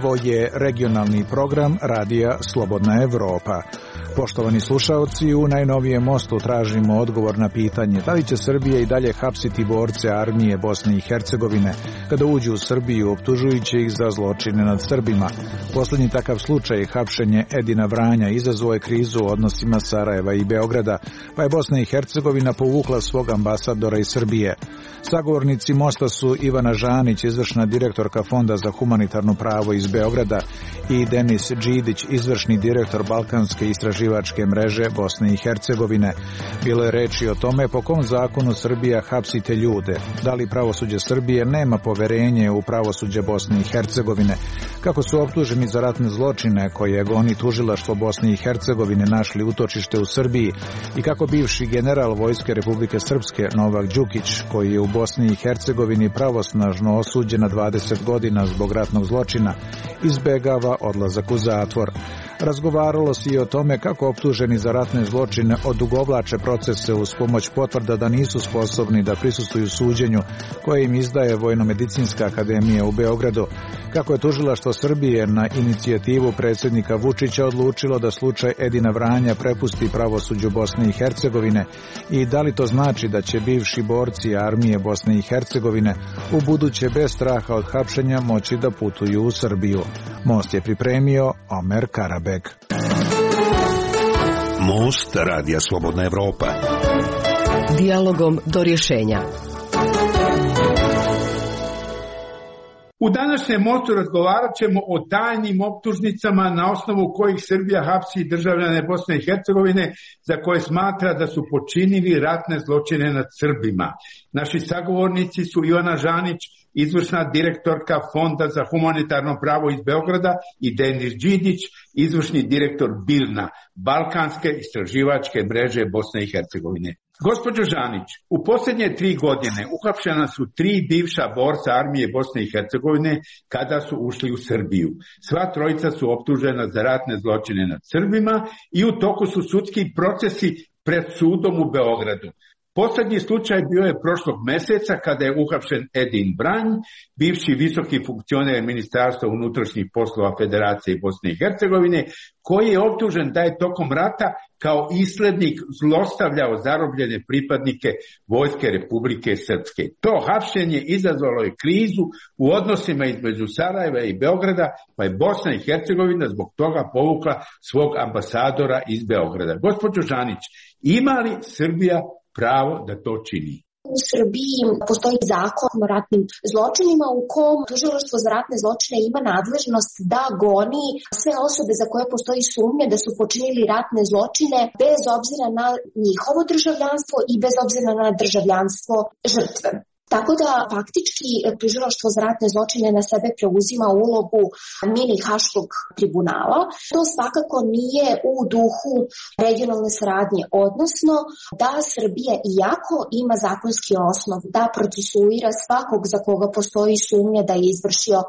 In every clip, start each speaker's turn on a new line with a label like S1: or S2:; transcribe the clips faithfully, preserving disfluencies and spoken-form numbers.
S1: Ovo je regionalni program Radija Slobodna Evropa. Poštovani slušaoci, u najnovijem mostu tražimo odgovor na pitanje da li će Srbija i dalje hapsiti borce armije Bosne i Hercegovine kada uđu u Srbiju optužujući ih za zločine nad Srbima. Poslednji takav slučaj, hapšenje Edina Vranja, izazvao je krizu u odnosima Sarajeva i Beograda, pa je Bosna i Hercegovina povukla svog ambasadora iz Srbije. Sagovornici mosta su Ivana Žanić, izvršna direktorka Fonda za humanitarno pravo iz Beograda, i Denis Đidić, izvršni direktor Balkanske istraživačke mreže Bosne i Hercegovine. Bilo je reči o tome po kom zakonu Srbija hapsi te ljude, da li pravosuđe Srbije nema poverenje u pravosuđe Bosne i Hercegovine, kako su optuženi za ratne zločine koje goni tužilaštvo Bosne i Hercegovine našli utočište u Srbiji i kako bivši general Vojske Republike Srpske Novak Đukić, koji je u Bosni i Hercegovini pravosnažno osuđen na dvadeset godina zbog ratnog zločina, izbegava odlazak u zatvor. Razgovaralo se i o tome kako optuženi za ratne zločine odugovlače procese uz pomoć potvrda da nisu sposobni da prisustvuju suđenju koje im izdaje Vojno-medicinska akademija u Beogradu, kako je tužilaštvo Srbije na inicijativu predsjednika Vučića odlučilo da slučaj Edina Vranja prepusti pravosuđu Bosne i Hercegovine i da li to znači da će bivši borci armije Bosne i Hercegovine u buduće bez straha od hapšenja moći da putuju u Srbiju. Most je pripremio Omer Karabek.
S2: Most Radija Slobodna Evropa.
S3: Dijalogom do rješenja.
S4: U današnjem mostu razgovarat ćemo o tajnim optužnicama na osnovu kojih Srbija hapsi državljane Bosne i Hercegovine za koje smatra da su počinili ratne zločine nad Srbima. Naši sagovornici su Ivana Žanić, izvršna direktorka Fonda za humanitarno pravo iz Beograda, i Denis Đidić, izvršni direktor BILNA, Balkanske istraživačke mreže Bosne i Hercegovine. Gospođo Žanić, u posljednje tri godine uhapšena su tri bivša borca armije Bosne i Hercegovine kada su ušli u Srbiju. Sva trojica su optužena za ratne zločine nad Srbima i u toku su sudski procesi pred sudom u Beogradu. Poslednji slučaj bio je prošlog meseca kada je uhapšen Edin Vranj, bivši visoki funkcioner Ministarstva unutrašnjih poslova Federacije Bosne i Hercegovine, koji je optužen da je tokom rata kao islednik zlostavljao zarobljene pripadnike Vojske Republike Srpske. To hapšenje izazvalo je krizu u odnosima između Sarajeva i Beograda, pa je Bosna i Hercegovina zbog toga povukla svog ambasadora iz Beograda. Gospođo Žanić, ima li Srbija pravo da to čini?
S5: U Srbiji postoji zakon o ratnim zločinima u kom tužilaštvo za ratne zločine ima nadležnost da goni sve osobe za koje postoji sumnja da su počinili ratne zločine bez obzira na njihovo državljanstvo i bez obzira na državljanstvo žrtve. Tako da faktički tužilaštvo za ratne zločine na sebe preuzima ulogu mini haškog tribunala. To svakako nije u duhu regionalne saradnje, odnosno da Srbija, iako ima zakonski osnov da procesuira svakog za koga postoji sumnja da je izvršio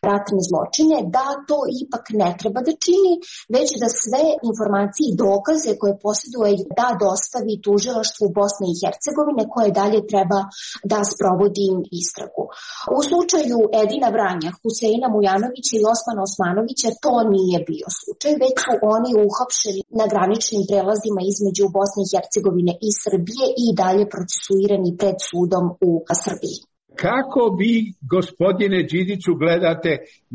S5: ratne zločine, da to ipak ne treba da čini, već da sve informacije i dokaze koje posjeduje da dostavi tužilaštvu Bosne i Hercegovine, koje dalje treba da sprovodi vodim istragu. U slučaju Edina Vranja, Huseina Mujanovića i Osmana Osmanovića to nije bio slučaj, već su oni uhapšeni na graničnim prelazima između Bosne i Hercegovine i Srbije i dalje procesuirani pred sudom u Srbiji.
S4: Kako vi, gospodine Đidiću, gledate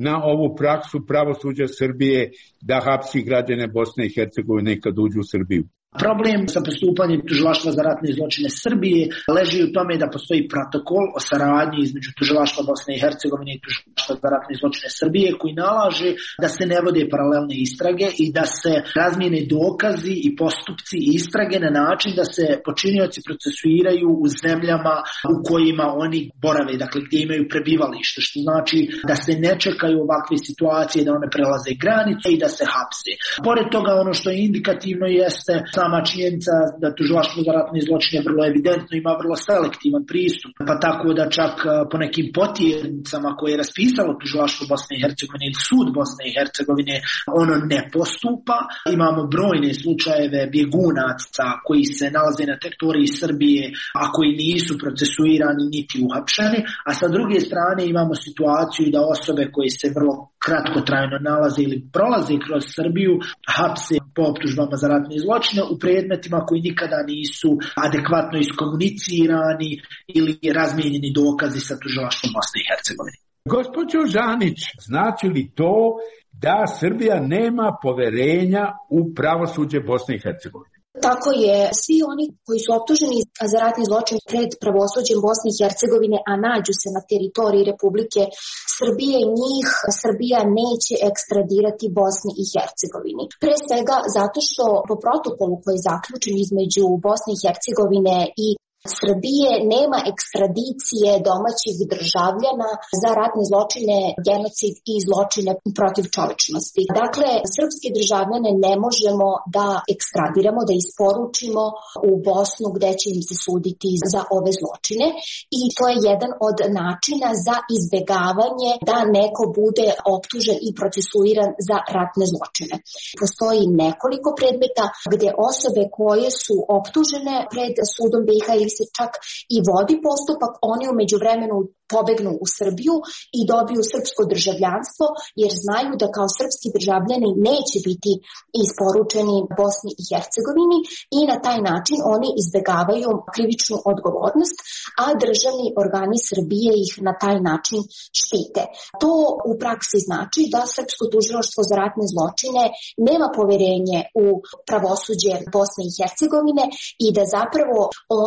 S4: na ovu praksu pravosuđa Srbije da hapsi građane Bosne i Hercegovine kad uđu u Srbiju?
S6: Problem sa postupanjem tužilaštva za ratne zločine Srbije leži u tome da postoji protokol o saradnji između tužilaštva Bosne i Hercegovine i tužilaštva za ratne zločine Srbije koji nalaže da se ne vode paralelne istrage i da se razmijene dokazi i postupci istrage na način da se počinioci procesuiraju u zemljama u kojima oni borave, dakle gdje imaju prebivalište, što znači da se ne čekaju ovakve situacije da one prelaze granice i da se hapse. Pored toga, ono što je indikativno jeste sama činjenica da tužilaštvo za ratne zločine vrlo evidentno ima vrlo selektivan pristup, pa tako da čak po nekim potjernicama koje je raspisalo tužilaštvo Bosne i Hercegovine ili sud Bosne i Hercegovine ono ne postupa. Imamo brojne slučajeve bjegunaca koji se nalaze na teritoriji Srbije, a koji nisu procesuirani niti uhapšeni, a sa druge strane imamo situaciju da osobe koje se vrlo kratkotrajno nalaze ili prolaze kroz Srbiju, hapse po optužbama za ratne zločine u predmetima koji nikada nisu adekvatno iskomunicirani ili razmijenjeni dokazi sa tužilaštvom Bosne i Hercegovine.
S4: Gospođo Žanić, znači li to da Srbija nema poverenja u pravosuđe Bosne i Hercegovine?
S5: Tako je, svi oni koji su optuženi za ratni zločin pred pravosuđem Bosne i Hercegovine, a nađu se na teritoriji Republike Srbije, njih Srbija neće ekstradirati Bosni i Hercegovini. Pre svega zato što po protokolu koji je zaključen između Bosne i Hercegovine i Srbije nema ekstradicije domaćih državljana za ratne zločine, genocid i zločine protiv čovečnosti. Dakle, srpske državljane ne možemo da ekstradiramo, da isporučimo u Bosnu gde će im se suditi za ove zločine i to je jedan od načina za izbegavanje da neko bude optužen i procesuiran za ratne zločine. Postoji nekoliko predmeta gde osobe koje su optužene pred sudom B i H ili se čak i vodi postupak, oni u međuvremenu pobegnu u Srbiju i dobiju srpsko državljanstvo jer znaju da kao srpski državljani neće biti isporučeni Bosni i Hercegovini i na taj način oni izbegavaju krivičnu odgovornost, a državni organi Srbije ih na taj način štite. To u praksi znači da srpsko tužilaštvo za ratne zločine nema poverenje u pravosuđe Bosne i Hercegovine i da zapravo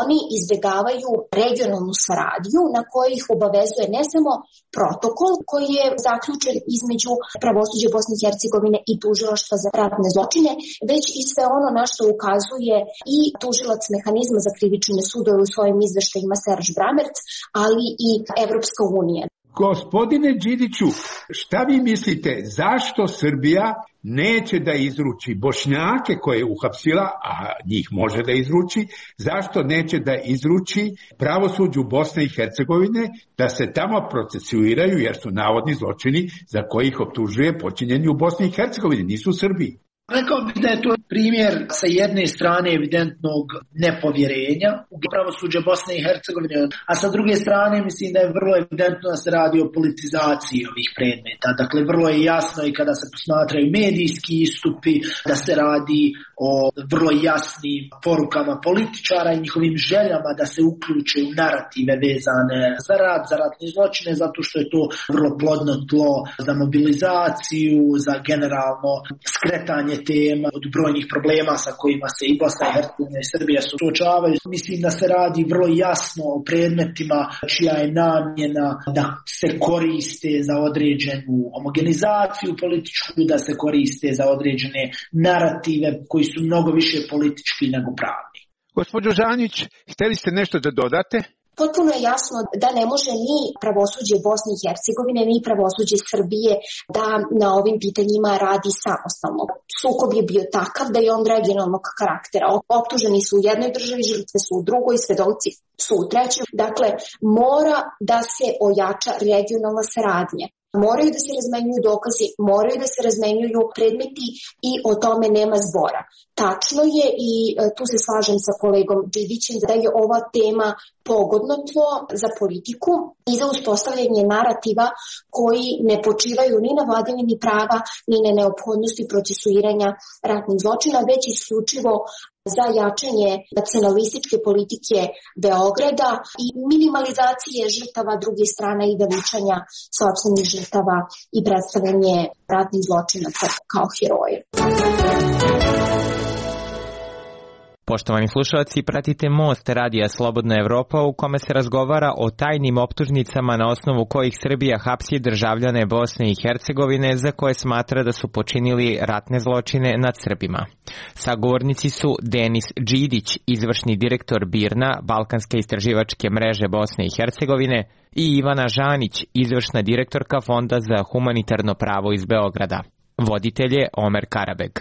S5: oni izbegavaju regionalnu saradnju na kojih obavezuje ne samo protokol koji je zaključen između pravosuđa Bosne i Hercegovine i tužilaštva za ratne zločine, već i sve ono na što ukazuje i tužilac mehanizma za krivične sudove u svojim izveštajima Serž Bramerc, ali i Evropska unija.
S4: Gospodine Đidiću, šta vi mislite, zašto Srbija neće da izruči Bošnjake koje je uhapsila, a njih može da izruči, zašto neće da izruči pravosuđu Bosne i Hercegovine da se tamo procesuiraju jer su navodni zločini za koji ih optužuje počinjeni u Bosni i Hercegovini, nisu u Srbiji?
S6: Rekao bih da je to primjer sa jedne strane evidentnog nepovjerenja u pravosuđe Bosne i Hercegovine, a sa druge strane mislim da je vrlo evidentno da se radi o politizaciji ovih predmeta. Dakle, vrlo je jasno i kada se posmatraju medijski istupi da se radi o vrlo jasnim porukama političara i njihovim željama da se uključe u narative vezane za rat, za ratne zločine, zato što je to vrlo plodno tlo za mobilizaciju, za generalno skretanje tema od brojnih problema sa kojima se i Bosna i Hercegovina i Srbija suočavaju. Mislim da se radi vrlo jasno o predmetima čija je namjena da se koriste za određenu homogenizaciju političku, da se koriste za određene narative koji su mnogo više politički nego pravni.
S4: Gospođo Žanić, htjeli ste nešto da dodate?
S5: Potpuno je jasno da ne može ni pravosuđe Bosne i Hercegovine, ni pravosuđe Srbije da na ovim pitanjima radi samostalno. Sukob je bio takav da je on regionalnog karaktera. Optuženi su u jednoj državi, žrtve su u drugoj, svedoci su u trećoj. Dakle, mora da se ojača regionalna saradnja. Moraju da se razmenjuju dokazi, moraju da se razmenjuju predmeti i o tome nema zbora. Tačno je i tu se slažem sa kolegom Đidićem da je ova tema pogodno tlo za politiku i za uspostavljanje narativa koji ne počivaju ni na vladavini prava, ni na neophodnosti procesuiranja ratnih zločina, već isključivo za jačanje nacionalističke politike Beograda i minimalizacije žrtava druge strane i veličanja sopstvenih žrtava i predstavljanje ratnih zločinaca kao heroje.
S7: Poštovani slušalci, pratite Most radija Slobodna Evropa u kome se razgovara o tajnim optužnicama na osnovu kojih Srbija hapsi državljane Bosne i Hercegovine za koje smatra da su počinili ratne zločine nad Srbima. Sagovornici su Denis Đidić, izvršni direktor BIRN-a, Balkanske istraživačke mreže Bosne i Hercegovine, i Ivana Žanić, izvršna direktorka Fonda za humanitarno pravo iz Beograda. Voditelj je Omer Karabeg.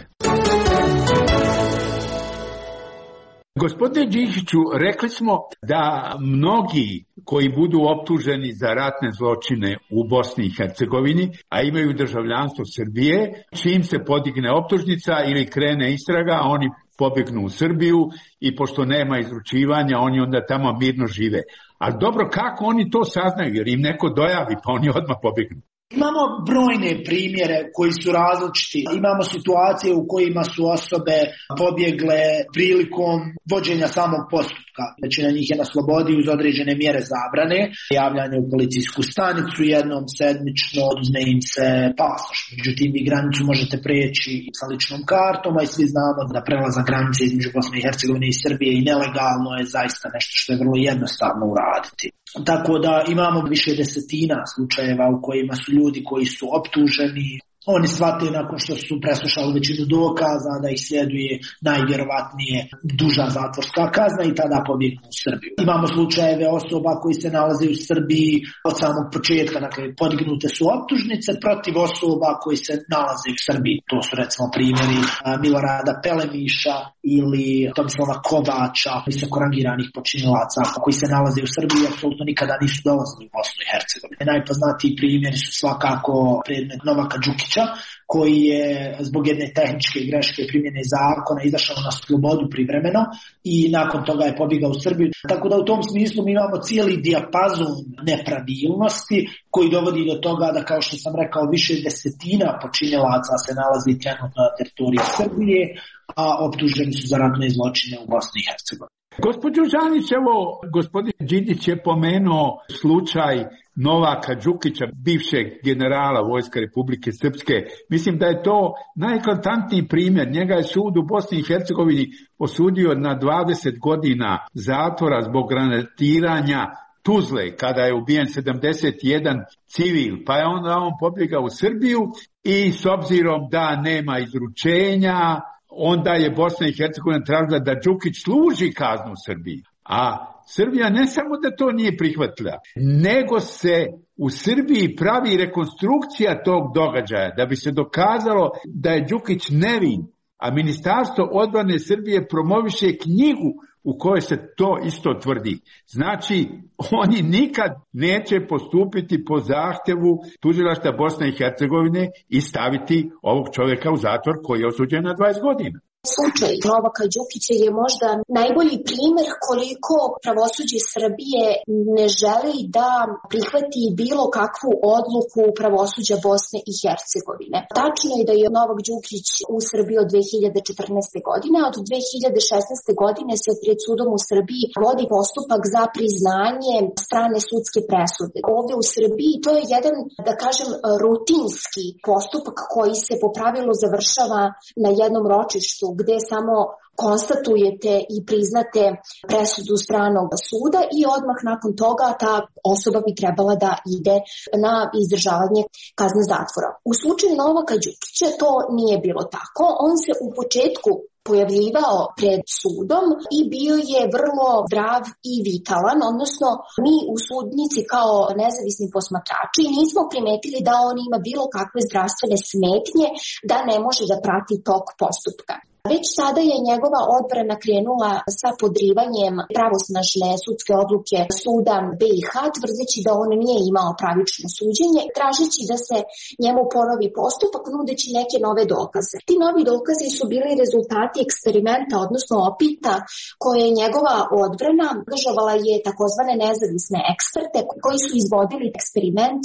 S4: Gospodine Đidiću, rekli smo da mnogi koji budu optuženi za ratne zločine u Bosni i Hercegovini, a imaju državljanstvo Srbije, čim se podigne optužnica ili krene istraga, oni pobegnu u Srbiju i pošto nema izručivanja, oni onda tamo mirno žive. Ali dobro, kako oni to saznaju? Jer im neko dojavi, pa oni odmah pobegnu.
S6: Imamo brojne primjere koji su različiti. Imamo situacije u kojima su osobe pobjegle prilikom vođenja samog postupka. Većina njih je na slobodi uz određene mjere zabrane. Javljanje u policijsku stanicu jednom sedmično, oduzme im se pasoš. Međutim, vi granicu možete preći sa ličnom kartom, a i svi znamo da prelazak granice između Bosne i Hercegovine i Srbije i nelegalno je zaista nešto što je vrlo jednostavno uraditi. Tako da imamo više desetina slučajeva u kojima su ljudi koji su optuženi, oni shvate nakon što su preslušali većinu dokaza da ih sljeduje najvjerovatnije duža zatvorska kazna i tada pobjegnu u Srbiju. Imamo slučajeve osoba koji se nalaze u Srbiji od samog početka, dakle podignute su optužnice protiv osoba koji se nalaze u Srbiji. To su recimo primjeri Milorada Pelemiša ili Tomislava Kovača, visoko rangiranih počinilaca koji se nalaze u Srbiji i apsolutno nikada nisu dolazili u Bosnu i Hercegovinu. Najpoznatiji primjeri su svakako predmet Novaka Đukića, koji je zbog jedne tehničke greške primjene zakona izašao na slobodu privremeno i nakon toga je pobjegao u Srbiju. Tako da u tom smislu mi imamo cijeli dijapazon nepravilnosti koji dovodi do toga da, kao što sam rekao, više desetina počinilaca se nalazi trenutno na teritoriji Srbije, a optuženi su za ratne zločine u Bosni i Hercegovini.
S4: Gospođo Žanić, evo, gospodin Đidić je pomenuo slučaj Novaka Đukića, bivšeg generala Vojske Republike Srpske. Mislim da je to najeklatantniji primjer. Njega je sud u Bosni i Hercegovini osudio na dvadeset godina zatvora zbog granatiranja Tuzle, kada je ubijen sedamdeset jedan civil, pa je onda on pobjegao u Srbiju i s obzirom da nema izručenja, onda je Bosna i Hercegovina tražila da Đukić služi kaznu u Srbiji. A Srbija ne samo da to nije prihvatila, nego se u Srbiji pravi rekonstrukcija tog događaja da bi se dokazalo da je Đukić nevin, a Ministarstvo odbrane Srbije promoviše knjigu u kojoj se to isto tvrdi. Znači, oni nikad neće postupiti po zahtjevu tužilaštva Bosne i Hercegovine i staviti ovog čovjeka u zatvor koji je osuđen na dvadeset godina.
S5: Slučaj Novaka Đukića je možda najbolji primjer koliko pravosuđe Srbije ne želi da prihvati bilo kakvu odluku pravosuđa Bosne i Hercegovine. Tačno je da je Novak Đukić u Srbiji od dve hiljade četrnaeste. godine, a od dve hiljade šesnaeste. godine se pred sudom u Srbiji vodi postupak za priznanje strane sudske presude. Ovdje u Srbiji to je jedan, da kažem, rutinski postupak koji se po pravilu završava na jednom ročištu, gdje samo konstatujete i priznate presudu stranog suda i odmah nakon toga ta osoba bi trebala da ide na izdržavanje kazne zatvora. U slučaju Novaka Đukića to nije bilo tako. On se u početku pojavljivao pred sudom i bio je vrlo zdrav i vitalan, odnosno mi u sudnici kao nezavisni posmatrači nismo primetili da on ima bilo kakve zdravstvene smetnje, da ne može da prati tok postupka. Već sada je njegova odbrana krenula sa podrivanjem pravosnažne sudske odluke suda B i H, tvrdeći da on nije imao pravično suđenje, tražeći da se njemu ponovi postupak, nudeći neke nove dokaze. Ti novi dokazi su bili rezultati eksperimenta, odnosno opita, koje je njegova odbrana angažovala je takozvane nezavisne eksperte koji su izvodili eksperiment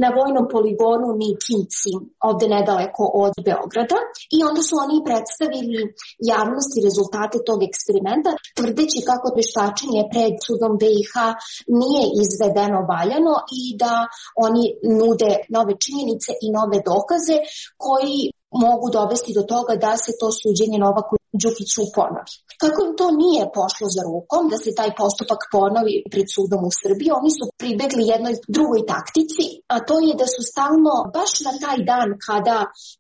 S5: na vojnom poligonu Ničinci, ovde nedaleko od Beograda, i onda su oni predstavili javnosti rezultate tog eksperimenta, tvrdeći kako vještačenje pred sudom B i H nije izvedeno valjano i da oni nude nove činjenice i nove dokaze koji mogu dovesti do toga da se to suđenje Novaku Đukiću ponovi. Kako im to nije pošlo za rukom da se taj postupak ponovi pred sudom u Srbiji, oni su pribegli jednoj drugoj taktici, a to je da su stalno baš na taj dan kada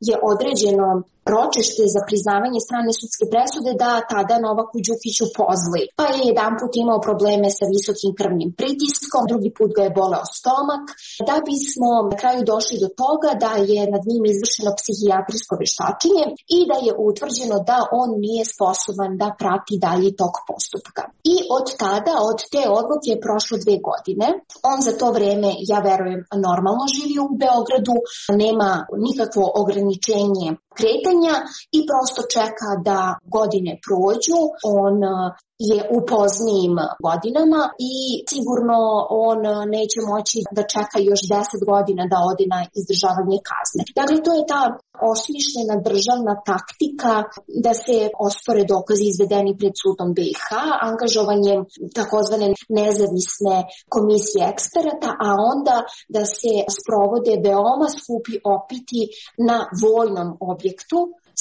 S5: je određeno ročište za priznavanje strane sudske presude da tada Novaku Đukiću pozli. Pa je jedan put imao probleme sa visokim krvnim pritiskom, drugi put ga je boleo stomak, da bismo na kraju došli do toga da je nad njim izvršeno psihijatrijsko vještačenje i da je utvrđeno da on nije sposoban da prati dalji tok postupka. I od tada, od te odluke je prošlo dve godine. On za to vreme, ja verujem, normalno živio u Beogradu, nema nikakvo ograničenje kretanja i prosto čeka da godine prođu. On je u poznijim godinama i sigurno on neće moći da čeka još deset godina da ode na izdržavanje kazne. Dakle, to je ta osmišljena državna taktika da se ospore dokazi izvedeni pred sudom B i H, angažovanjem takozvane nezavisne komisije eksperata, a onda da se sprovode veoma skupi opiti na vojnom objektu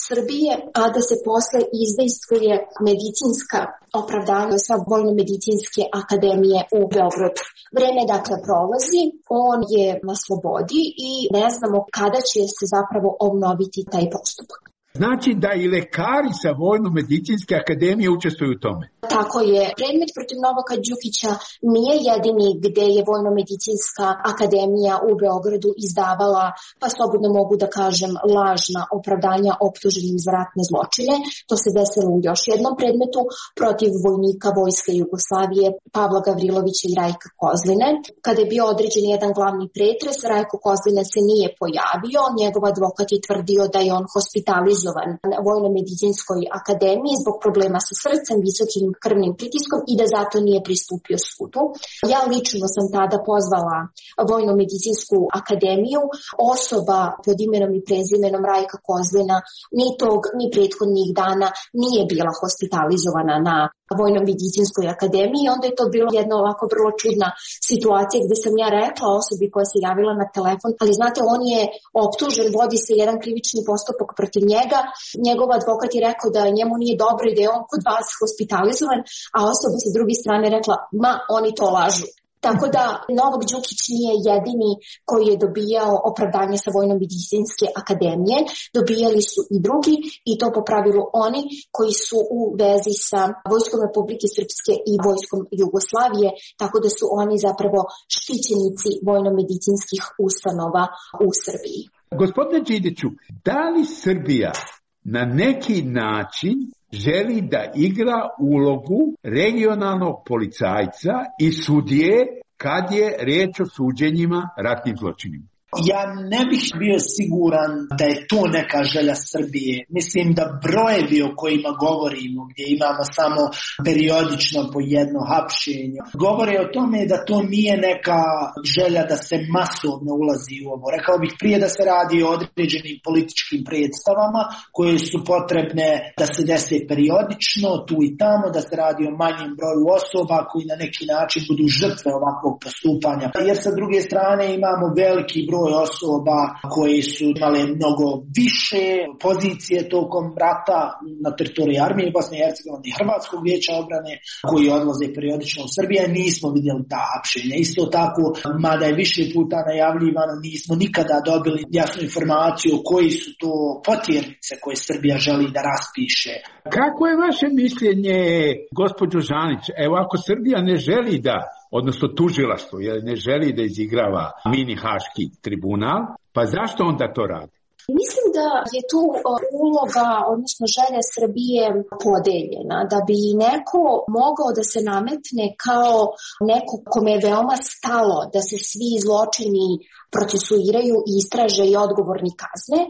S5: Srbije, a da se posle izdejstvuje medicinska opravdanja sa Vojno-medicinske akademije u Beogradu. Vreme dakle prolazi, on je na slobodi i ne znamo kada će se zapravo obnoviti taj postupak.
S4: Znači da i lekari sa Vojno-medicinske akademije učestvuju u tome?
S5: Tako je. Predmet protiv Novaka Đukića nije jedini gde je Vojno-medicinska akademija u Beogradu izdavala, pa slobodno mogu da kažem, lažna opravdanja optuženim za ratne zločine. To se desilo u još jednom predmetu protiv vojnika Vojske Jugoslavije Pavla Gavrilovića i Rajka Kozline. Kada je bio određen jedan glavni pretres, Rajko Kozline se nije pojavio. Njegov advokat je tvrdio da je on hospitalizovan na Vojno-medicinskoj akademiji zbog problema sa srcem, visokim krvnim pritiskom i da zato nije pristupio sudu. Ja lično sam tada pozvala Vojno-medicinsku akademiju. Osoba pod imenom i prezimenom Rajka Kozlina ni tog, ni prethodnih dana nije bila hospitalizovana na Vojno-medicinskoj akademiji. Onda je to bilo jedna ovako vrlo čudna situacija gde sam ja rekla osobi koja se javila na telefon, ali znate, on je optužen, vodi se jedan krivični postupak protiv njega. Njegov advokat je rekao da njemu nije dobro i da je on kod vas hospitalizovan, a osoba sa druge strane rekla, ma, oni to lažu. Tako da Novak Đukić nije jedini koji je dobijao opravdanje sa Vojno-medicinske akademije, dobijali su i drugi i to po pravilu oni koji su u vezi sa Vojskom Republike Srpske i Vojskom Jugoslavije, tako da su oni zapravo štićenici vojno-medicinskih ustanova u Srbiji.
S4: Gospodine Đidiću, da li Srbija na neki način želi da igra ulogu regionalnog policajca i sudije kad je riječ o suđenjima ratnim zločinima?
S6: Ja ne bih bio siguran da je to neka želja Srbije. Mislim da brojevi o kojima govorimo, gdje imamo samo periodično po jedno hapšenje, govore o tome da to nije neka želja da se masovno ulazi u ovo. Rekao bih prije da se radi o određenim političkim predstavama koje su potrebne da se dese periodično, tu i tamo, da se radi o manjem broju osoba koji na neki način budu žrtve ovakvog postupanja. Jer sa druge strane imamo veliki broj osoba koje su imale mnogo više pozicije tokom rata na teritoriji armije Bosne i Hercegovine i Hrvatskog vijeća obrane koji odlaze periodično u Srbiju. Nismo vidjeli ta hapšenja. Isto tako, mada je više puta najavljivano, nismo nikada dobili jasnu informaciju koji su to potjernice koje Srbija želi da raspiše.
S4: Kako je vaše mišljenje, gospođo Žanić? Evo, ako Srbija ne želi da, odnosno tužilaštvo, jer ne želi da izigrava mini haški tribunal, pa zašto onda to radi?
S5: Mislim da je tu uloga, odnosno želja Srbije podeljena, da bi neko mogao da se nametne kao neko kome je veoma stalo da se svi zločini procesuiraju, istraže i odgovorni kazne,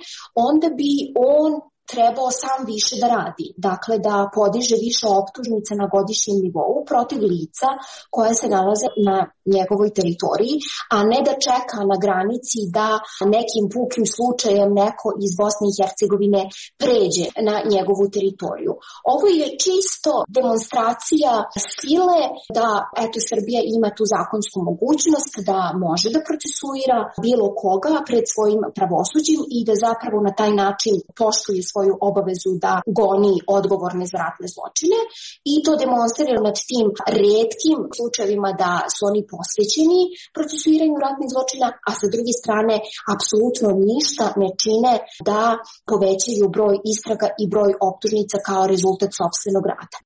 S5: onda bi on trebao sam više da radi. Dakle, da podiže više optužnica na godišnjem nivou protiv lica koja se nalaze na njegovoj teritoriji, a ne da čeka na granici da nekim pukim slučajem neko iz Bosne i Hercegovine pređe na njegovu teritoriju. Ovo je čisto demonstracija sile da eto Srbija ima tu zakonsku mogućnost da može da procesuira bilo koga pred svojim pravosuđem i da zapravo na taj način poštuje svoju obavezu da goni odgovorne za ratne zločine i to demonstrira nad tim retkim slučajevima da su oni posvećeni procesuiranju ratnih zločina, a sa druge strane apsolutno ništa ne čine da povećaju broj istraga i broj optužnica kao rezultat sopstvenog rada.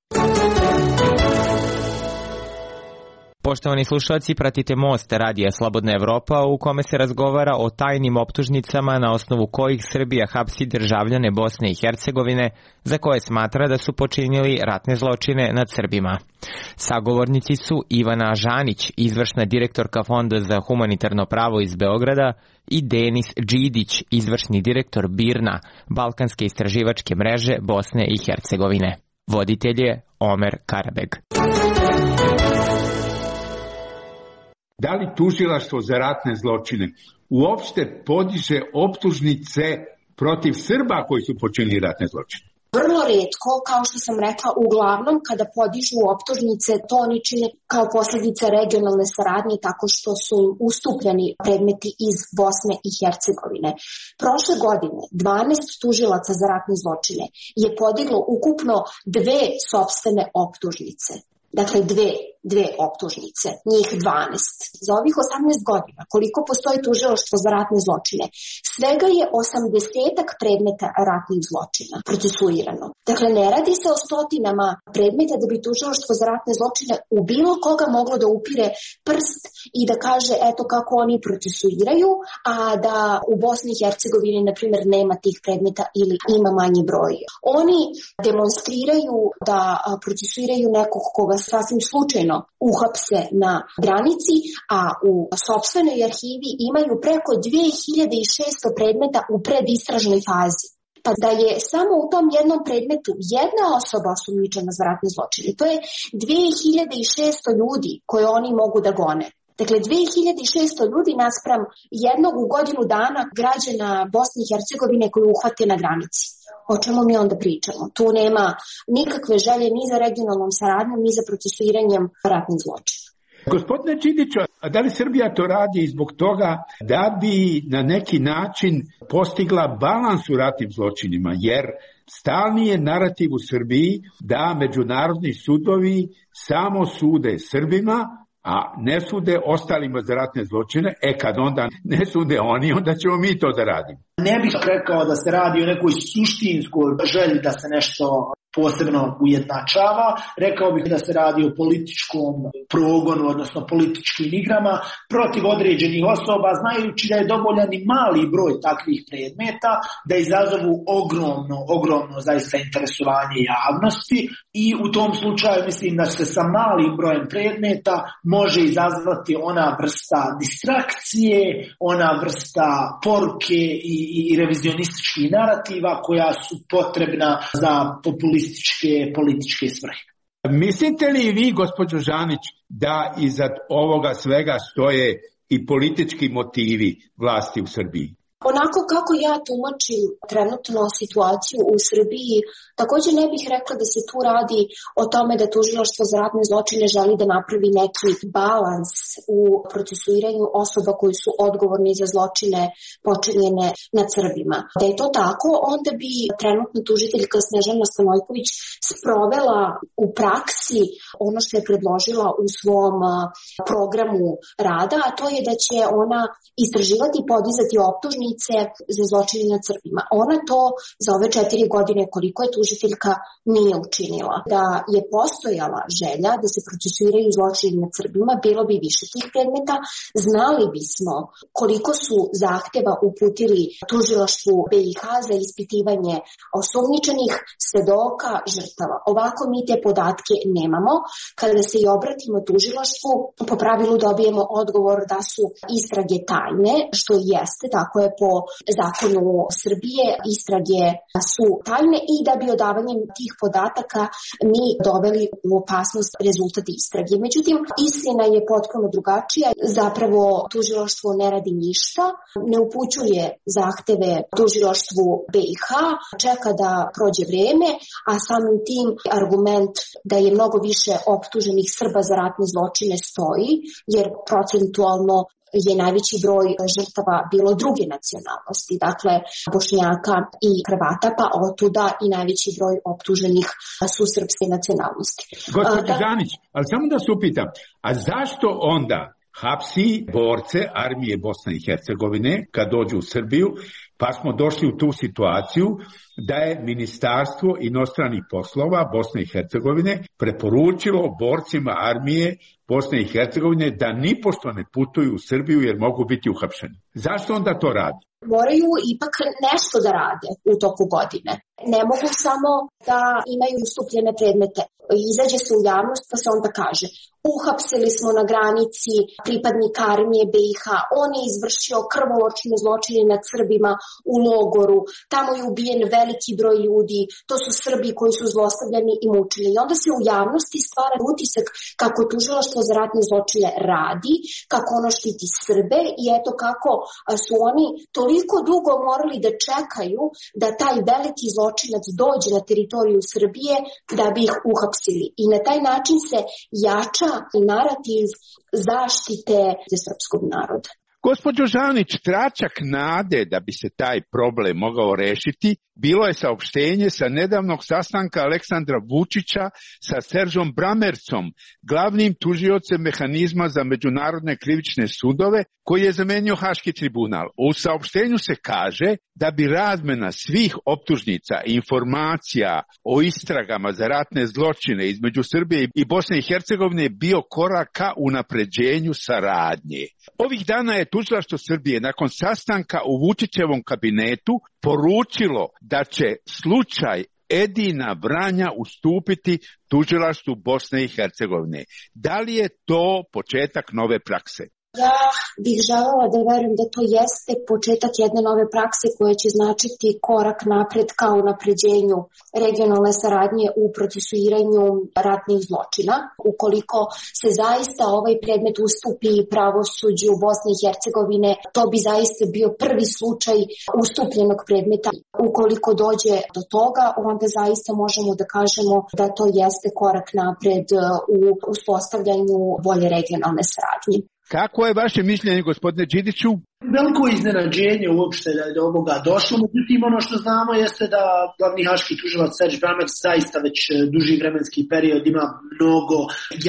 S7: Poštovani slušalci, pratite Most Radija Slobodna Evropa u kome se razgovara o tajnim optužnicama na osnovu kojih Srbija hapsi državljane Bosne i Hercegovine za koje smatra da su počinili ratne zločine nad Srbima. Sagovornici su Ivana Žanić, izvršna direktorka Fonda za humanitarno pravo iz Beograda, i Denis Đidić, izvršni direktor BIRNA, Balkanske istraživačke mreže Bosne i Hercegovine. Voditelj je Omer Karabeg.
S4: Da li tužilaštvo za ratne zločine uopšte podiže optužnice protiv Srba koji su počinili ratne zločine?
S5: Vrlo retko, kao što sam rekla, uglavnom kada podižu optužnice, to oni čine kao posljedica regionalne saradnje tako što su im ustupljeni predmeti iz Bosne i Hercegovine. Prošle godine dvanaest tužilaca za ratne zločine je podiglo ukupno dve sopstvene optužnice. Dakle, dve, dve optužnice, njih dvanaest. Za ovih osamnaest godina, koliko postoji tužilaštvo za ratne zločine, svega je osamdesetak predmeta ratnih zločina procesuirano. Dakle, ne radi se o stotinama predmeta da bi tužilaštvo za ratne zločine u bilo koga moglo da upire prst i da kaže eto kako oni procesuiraju, a da u Bosni i Hercegovini, na primjer, nema tih predmeta ili ima manji broj. Oni demonstriraju da procesuiraju nekog koga sasvim slučajno uhapse na granici, a u sopstvenoj arhivi imaju preko dve hiljade šesto predmeta u predistražnoj fazi. Pa da je samo u tom jednom predmetu jedna osoba osumnjičena za ratne zločine, to je dve hiljade šesto ljudi koje oni mogu da gone. Dakle, dve hiljade šesto ljudi naspram jednog u godinu dana građana Bosne i Hercegovine koji uhvate na granici. O čemu mi onda pričamo? Tu nema nikakve želje ni za regionalnom saradnjom, ni za procesuiranjem ratnih zločina.
S4: Gospodine Čidiću, a da li Srbija to radi zbog toga da bi na neki način postigla balans u ratnim zločinima? Jer stalni je narativ u Srbiji da međunarodni sudovi samo sude Srbima, a ne sude ostalima za ratne zločine. E kad onda ne sude oni, onda ćemo mi to da radimo.
S6: Ne bih rekao da se radi o nekoj suštinskoj želji da se nešto posebno ujednačava. Rekao bih da se radi o političkom progonu, odnosno političkim igrama protiv određenih osoba, znajući da je dovoljan i mali broj takvih predmeta da izazovu ogromno, ogromno zaista interesovanje javnosti i u tom slučaju mislim da se sa malim brojem predmeta može izazvati ona vrsta distrakcije, ona vrsta poruke i, i revizionističkih narativa koja su potrebna za populističke političke svrhe.
S4: Mislite li vi, gospođo Žanić, da iza ovoga svega stoje i politički motivi vlasti u Srbiji?
S5: Onako kako ja tumačim trenutno situaciju u Srbiji, također ne bih rekla da se tu radi o tome da tužilaštvo za ratne zločine želi da napravi neki balans u procesuiranju osoba koji su odgovorni za zločine počinjene nad Srbima. Da je to tako, onda bi trenutno tužiteljka Snežana Stanojković sprovela u praksi ono što je predložila u svom programu rada, a to je da će ona istraživati i podizati optužnice za zločine nad Srbima. Ona to za ove četiri godine koliko je tužiteljka nije učinila. Da je postojala želja da se procesuiraju zločine nad Srbima, bilo bi više tih predmeta, znali bismo koliko su zahteva uputili tužilaštvu B i H za ispitivanje osumnjičenih, svedoka, žrtava. Ovako mi te podatke nemamo. Kada se i obratimo tužilaštvu, po pravilu dobijemo odgovor da su istrage tajne, što jeste, tako je po zakonu Srbije, istrage su tajne i da bi odavanjem tih podataka mi doveli u opasnost rezultat istrage. Međutim, istina je potpuno drugačija. Zapravo tužilaštvo ne radi ništa, ne upućuje zahteve tužilaštvu B i H, čeka da prođe vreme, a samim tim argument da je mnogo više optuženih Srba za ratne zločine stoji, jer procentualno je najveći broj žrtava bilo druge nacionalnosti, dakle Bošnjaka i Hrvata, pa otuda i najveći broj optuženih su srpske nacionalnosti.
S4: Gospođo Žanić, ali samo da se upitam, a zašto onda hapsi borce armije Bosne i Hercegovine kad dođu u Srbiju, pa smo došli u tu situaciju da je Ministarstvo inostranih poslova Bosne i Hercegovine preporučilo borcima armije Bosne i Hercegovine da nipošto ne putuju u Srbiju jer mogu biti uhapšeni. Zašto onda to radi?
S5: Moraju ipak nešto da rade u toku godine. Ne mogu samo da imaju ustupljene predmete. Izađe se u javnost pa se onda kaže uhapsili smo na granici pripadnika armije B i H, on je izvršio krvoločne zločine nad Srbima, u logoru, tamo je ubijen veliki broj ljudi, to su Srbi koji su zlostavljani i mučeni. I onda se u javnosti stvara utisak kako tužilaštvo za ratne zločine radi, kako ono štiti Srbe i eto kako su oni toliko dugo morali da čekaju da taj veliki zločinac dođe na teritoriju Srbije da bi ih uhapsili. I na taj način se jača narativ zaštite srpskog naroda.
S4: Gospođo Žanić, tračak nade da bi se taj problem mogao rešiti bilo je saopštenje sa nedavnog sastanka Aleksandra Vučića sa Seržom Bramercom, glavnim tužiocem mehanizma za međunarodne krivične sudove, koji je zamenio Haški tribunal. U saopštenju se kaže da bi razmena svih optužnica i informacija o istragama za ratne zločine između Srbije i Bosne i Hercegovine bio korak ka unapređenju saradnje. Ovih dana je Tužilaštvo Srbije nakon sastanka u Vučićevom kabinetu poručilo da će slučaj Edina Vranja ustupiti Tužilaštvu Bosne i Hercegovine. Da li je to početak nove prakse?
S5: Ja bih želela da verujem da to jeste početak jedne nove prakse koja će značiti korak napred ka unapređenju regionalne saradnje u procesuiranju ratnih zločina. Ukoliko se zaista ovaj predmet ustupi pravosuđu Bosne i Hercegovine, to bi zaista bio prvi slučaj ustupljenog predmeta. Ukoliko dođe do toga, onda zaista možemo da kažemo da to jeste korak napred u uspostavljanju bolje regionalne saradnje.
S4: Kako je vaše mišljenje, gospodine Đidiću?
S6: Veliko iznenađenje uopšte da je do ovoga došlo, međutim ono što znamo jeste da glavni haški tužilac Serž Bramerc zaista već duži vremenski period ima mnogo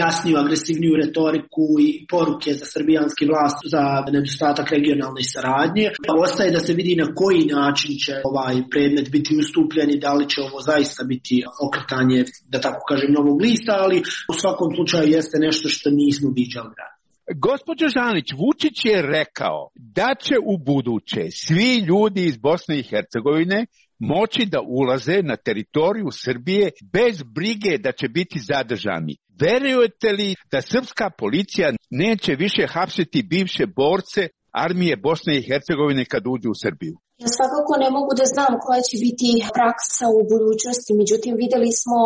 S6: jasniju, agresivniju retoriku i poruke za srbijanski vlast za nedostatak regionalne saradnje. Ostaje da se vidi na koji način će ovaj predmet biti ustupljen i da li će ovo zaista biti okretanje, da tako kažem, novog lista, ali u svakom slučaju jeste nešto što nismo viđali ranije.
S4: Gospođo Žanić, Vučić je rekao da će u buduće svi ljudi iz Bosne i Hercegovine moći da ulaze na teritoriju Srbije bez brige da će biti zadržani. Verujete li da srpska policija neće više hapsiti bivše borce armije Bosne i Hercegovine kad uđu u Srbiju?
S5: Ja svakako ne mogu da znam koja će biti praksa u budućnosti, međutim videli smo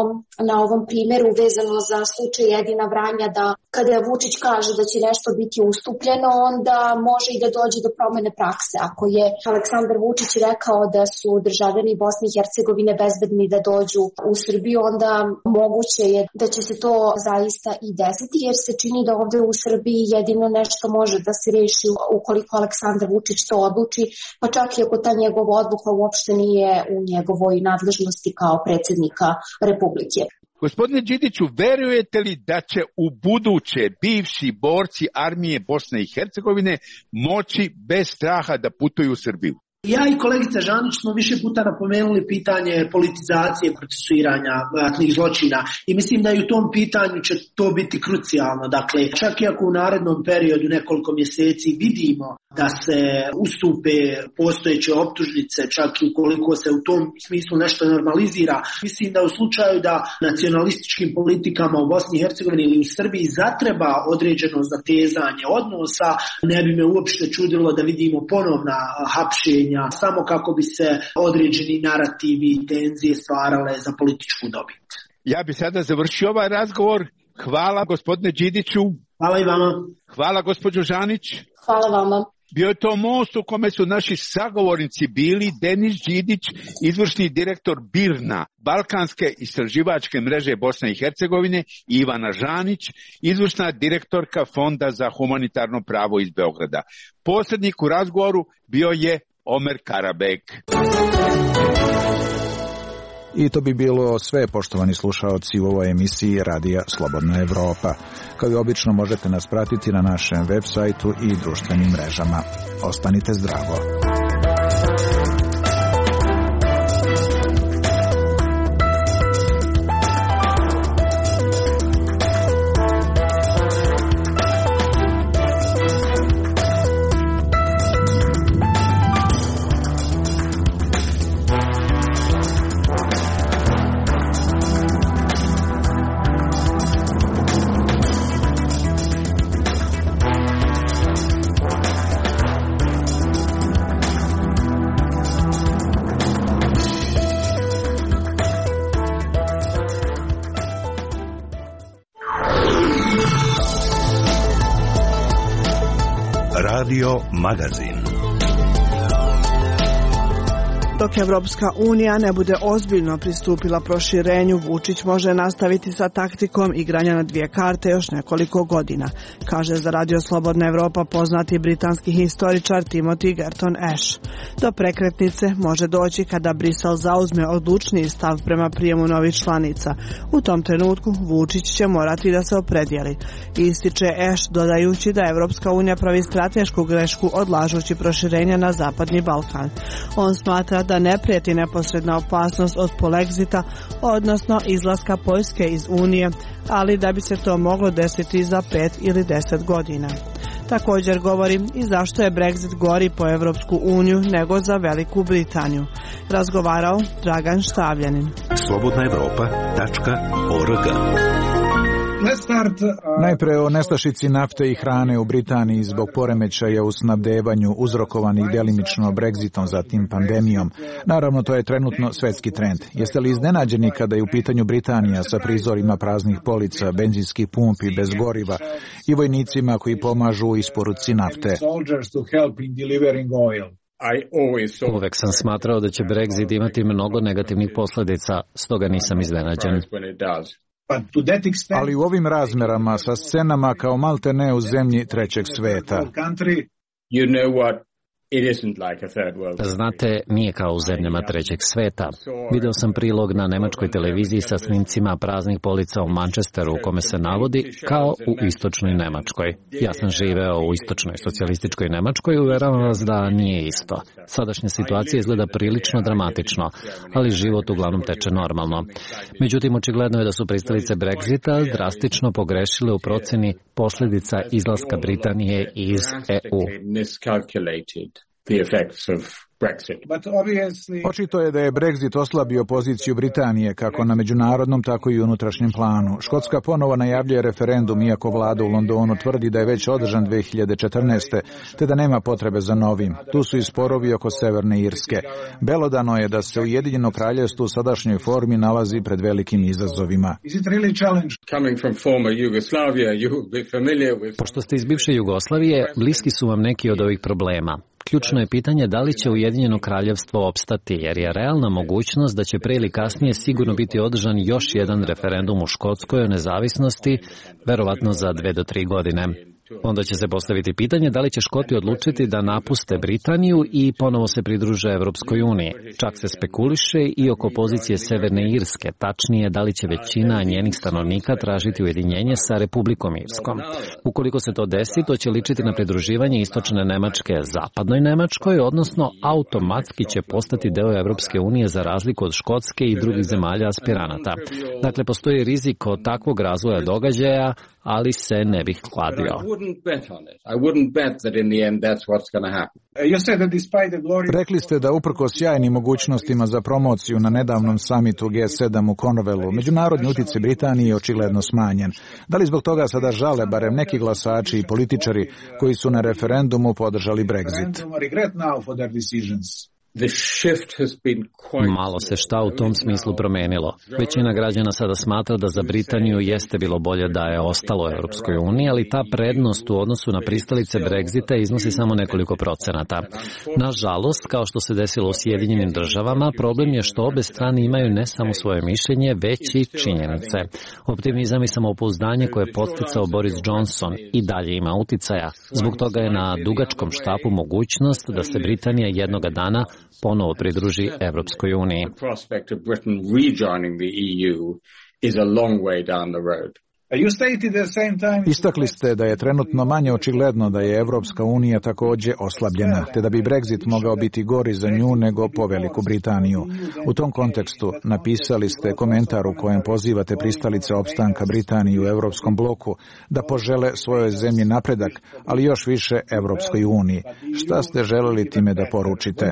S5: na ovom primjeru vezano za slučaj Edina Vranja da kada Vučić kaže da će nešto biti ustupljeno, onda može i da dođe do promene prakse. Ako je Aleksandar Vučić rekao da su državljani Bosne i Hercegovine bezbedni da dođu u Srbiju, onda moguće je da će se to zaista i desiti, jer se čini da ovde u Srbiji jedino nešto može da se reši ukoliko Aleksandar Vučić to odluči, pa čak i ako ta njegova odluka uopšte nije u njegovoj nadležnosti kao predsjednika Republike.
S4: Gospodine Đidiću, verujete li da će u buduće bivši borci armije Bosne i Hercegovine moći bez straha da putuju u Srbiju?
S6: Ja i kolegica Žanić smo više puta napomenuli pitanje politizacije procesuiranja ratnih zločina i mislim da i u tom pitanju će to biti krucijalno. Dakle, čak i ako u narednom periodu nekoliko mjeseci vidimo da se ustupe postojeće optužnice, čak i ukoliko se u tom smislu nešto normalizira, mislim da u slučaju da nacionalističkim politikama u Bosni i Hercegovini ili u Srbiji zatreba određeno zatezanje odnosa, ne bi me uopšte čudilo da vidimo ponovna hapšenja samo kako bi se određeni narativi i tenzije stvarale za političku dobit.
S4: Ja bi sada završio ovaj razgovor. Hvala gospodine Đidiću.
S6: Hvala i vama.
S4: Hvala gospođo Žanić.
S5: Hvala vama.
S4: Bio je to most u kome su naši sagovornici bili Denis Đidić, izvršni direktor BIRNA, Balkanske istraživačke mreže Bosne i Hercegovine, i Ivana Žanić, izvršna direktorka Fonda za humanitarno pravo iz Beograda. Posrednik u razgovoru bio je Omer Karabek.
S1: I to bi bilo sve, poštovani slušaoci, u ovoj emisiji Radija Slobodna Evropa. Kao i obično možete nas pratiti na našem web sajtu i društvenim mrežama. Ostanite zdravo.
S2: Radio Magazin.
S8: Dok Evropska unija ne bude ozbiljno pristupila proširenju, Vučić može nastaviti sa taktikom igranja na dvije karte još nekoliko godina, kaže za Radio Slobodna Evropa poznati britanski historičar Timothy Gerton Ash. Do prekretnice može doći kada Brisel zauzme odlučniji stav prema prijemu novih članica. U tom trenutku Vučić će morati da se opredijeli. Ističe Ash dodajući da Evropska unija pravi stratešku grešku odlažući proširenje na Zapadni Balkan. On smatra da ne prijeti neposredna opasnost od polexita, odnosno izlaska Poljske iz Unije, ali da bi se to moglo desiti za pet ili deset godina. Također govori i zašto je Brexit gori po Evropsku uniju nego za Veliku Britaniju. Razgovarao Dragan Štavljanin.
S2: slobodna evropa tačka org.
S1: Najpre o nestašici nafte i hrane u Britaniji zbog poremećaja u snabdevanju uzrokovanih delimično Brexitom, zatim pandemijom. Naravno, to je trenutno svetski trend. Jeste li iznenađeni kada je u pitanju Britanija sa prizorima praznih polica, benzinskih pumpi bez goriva i vojnicima koji pomažu u isporuci nafte?
S9: Uvek sam smatrao da će Brexit imati mnogo negativnih posljedica, stoga nisam iznenađen.
S1: Ali u ovim razmerama sa scenama kao malte ne u zemlji trećeg sveta.
S9: Znate, nije kao u zemljama trećeg sveta. Video sam prilog na nemačkoj televiziji sa snimcima praznih polica u Manchesteru u kome se navodi kao u istočnoj Nemačkoj. Ja sam živeo u istočnoj socijalističkoj Nemačkoj i uveravam vas da nije isto. Sadašnja situacija izgleda prilično dramatično, ali život uglavnom teče normalno. Međutim, očigledno je da su pristalice Brexita drastično pogrešile u proceni posljedica izlaska Britanije iz E U.
S10: The effects of Brexit.
S1: Očito je da je Brexit oslabio poziciju Britanije kako na međunarodnom, tako i unutrašnjem planu. Škotska ponovo najavljuje referendum, iako vlada u Londonu tvrdi da je već održan dve hiljade četrnaeste. te da nema potrebe za novim. Tu su i sporovi oko Severne Irske. Belodano je da se Ujedinjeno kraljevstvo u sadašnjoj formi nalazi pred velikim izazovima.
S9: Pošto ste iz bivše Jugoslavije, bliski su vam neki od ovih problema. Ključno je pitanje da li će Ujedinjeno kraljevstvo opstati, jer je realna mogućnost da će pre ili kasnije sigurno biti održan još jedan referendum u Škotskoj o nezavisnosti, verovatno za dve do tri godine. Onda će se postaviti pitanje da li će Škoti odlučiti da napuste Britaniju i ponovo se pridruže Evropskoj uniji. Čak se spekuliše i oko pozicije Severne Irske, tačnije da li će većina njenih stanovnika tražiti ujedinjenje sa Republikom Irskom. Ukoliko se to desi, to će ličiti na pridruživanje istočne Nemačke zapadnoj Nemačkoj, odnosno automatski će postati deo Evropske unije za razliku od Škotske i drugih zemalja aspiranata. Dakle, postoji rizik od takvog razvoja događaja, ali se ne bih kladio.
S1: Rekli ste da uprkos sjajnim mogućnostima za promociju na nedavnom samitu G sedam u Cornwallu, međunarodni utjecaj Britanije je očigledno smanjen. Da li zbog toga sada žale barem neki glasači i političari koji su na referendumu podržali Brexit?
S9: Malo se šta u tom smislu promenilo. Većina građana sada smatra da za Britaniju jeste bilo bolje da je ostalo u Europskoj uniji, ali ta prednost u odnosu na pristalice Brexita iznosi samo nekoliko procenata. Nažalost, kao što se desilo u Sjedinjenim državama, problem je što obe strane imaju ne samo svoje mišljenje, već i činjenice. Optimizam i samopouzdanje koje je podsticao Boris Johnson i dalje ima uticaja. Zbog toga je na dugačkom štapu mogućnost da se Britanija jednoga dana ponovo pridruži Evropskoj uniji.
S1: Istakli ste da je trenutno manje očigledno da je Evropska unija također oslabljena, te da bi Brexit mogao biti gori za nju nego po Veliku Britaniju. U tom kontekstu napisali ste komentar u kojem pozivate pristalice opstanka Britanije u Evropskom bloku da požele svojoj zemlji napredak, ali još više Evropskoj uniji. Šta ste želeli time da poručite?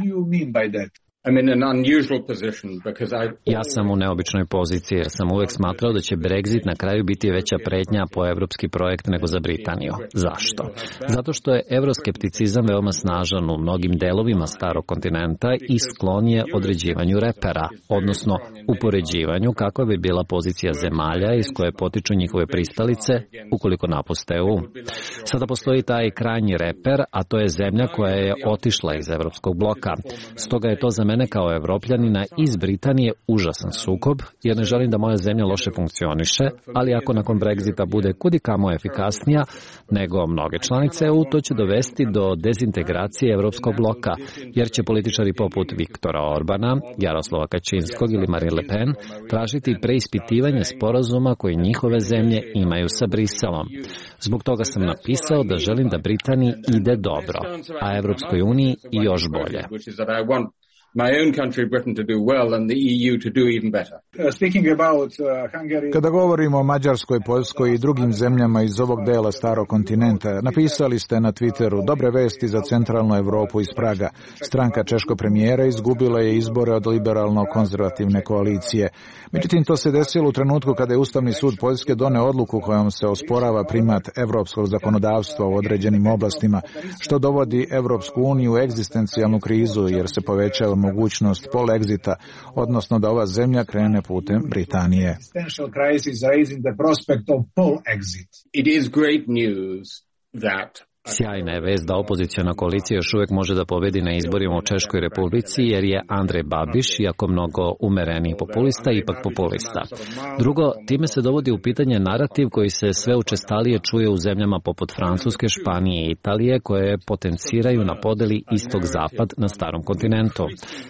S9: Ja sam u neobičnoj poziciji jer sam uvek smatrao da će Brexit na kraju biti veća pretnja po evropski projekt nego za Britaniju. Zašto? Zato što je evroskepticizam veoma snažan u mnogim delovima starog kontinenta i sklon je određivanju repera, odnosno upoređivanju kakva bi bila pozicija zemalja iz koje potiču njihove pristalice ukoliko napuste E U. Sada postoji taj krajnji reper, a to je zemlja koja je otišla iz evropskog bloka. Stoga je to za mene kao Evropljanina iz Britanije užasan sukob, jer ne želim da moja zemlja loše funkcioniše, ali ako nakon Brexita bude kudikamo efikasnija nego mnoge članice E U, to će dovesti do dezintegracije evropskog bloka, jer će političari poput Viktora Orbana, Jaroslava Kačinskog ili Marine Le Pen tražiti preispitivanje sporazuma koje njihove zemlje imaju sa Briselom. Zbog toga sam napisao da želim da Britaniji ide dobro, a Evropskoj uniji i još bolje.
S10: My own country, Britain, to do well and the E U to do even better.
S1: Uh, speaking about uh, Hungary... Kada govorimo o Mađarskoj, Poljskoj i drugim zemljama iz ovog dela starog kontinenta, napisali ste na Twitteru dobre vesti za centralnu Evropu iz Praga. Stranka češkog premijera izgubila je izbore od liberalno-konzervativne koalicije. Međutim, to se desilo u trenutku kada je Ustavni sud Poljske doneo odluku kojom se osporava primat evropskog zakonodavstva u određenim oblastima, što dovodi Evropsku uniju u egzistencijalnu krizu jer se povećava mogućnost polexita, odnosno da ova zemlja krene putem Britanije.
S10: It is great news that
S9: Sjajna je vest da opoziciona koalicija još uvek može da pobedi na izborima u Češkoj Republici, jer je Andrej Babiš, iako mnogo umereniji populista, ipak populista. Drugo, time se dovodi u pitanje narativ koji se sve učestalije čuje u zemljama poput Francuske, Španije i Italije, koje potenciraju na podeli istok-zapad na starom kontinentu.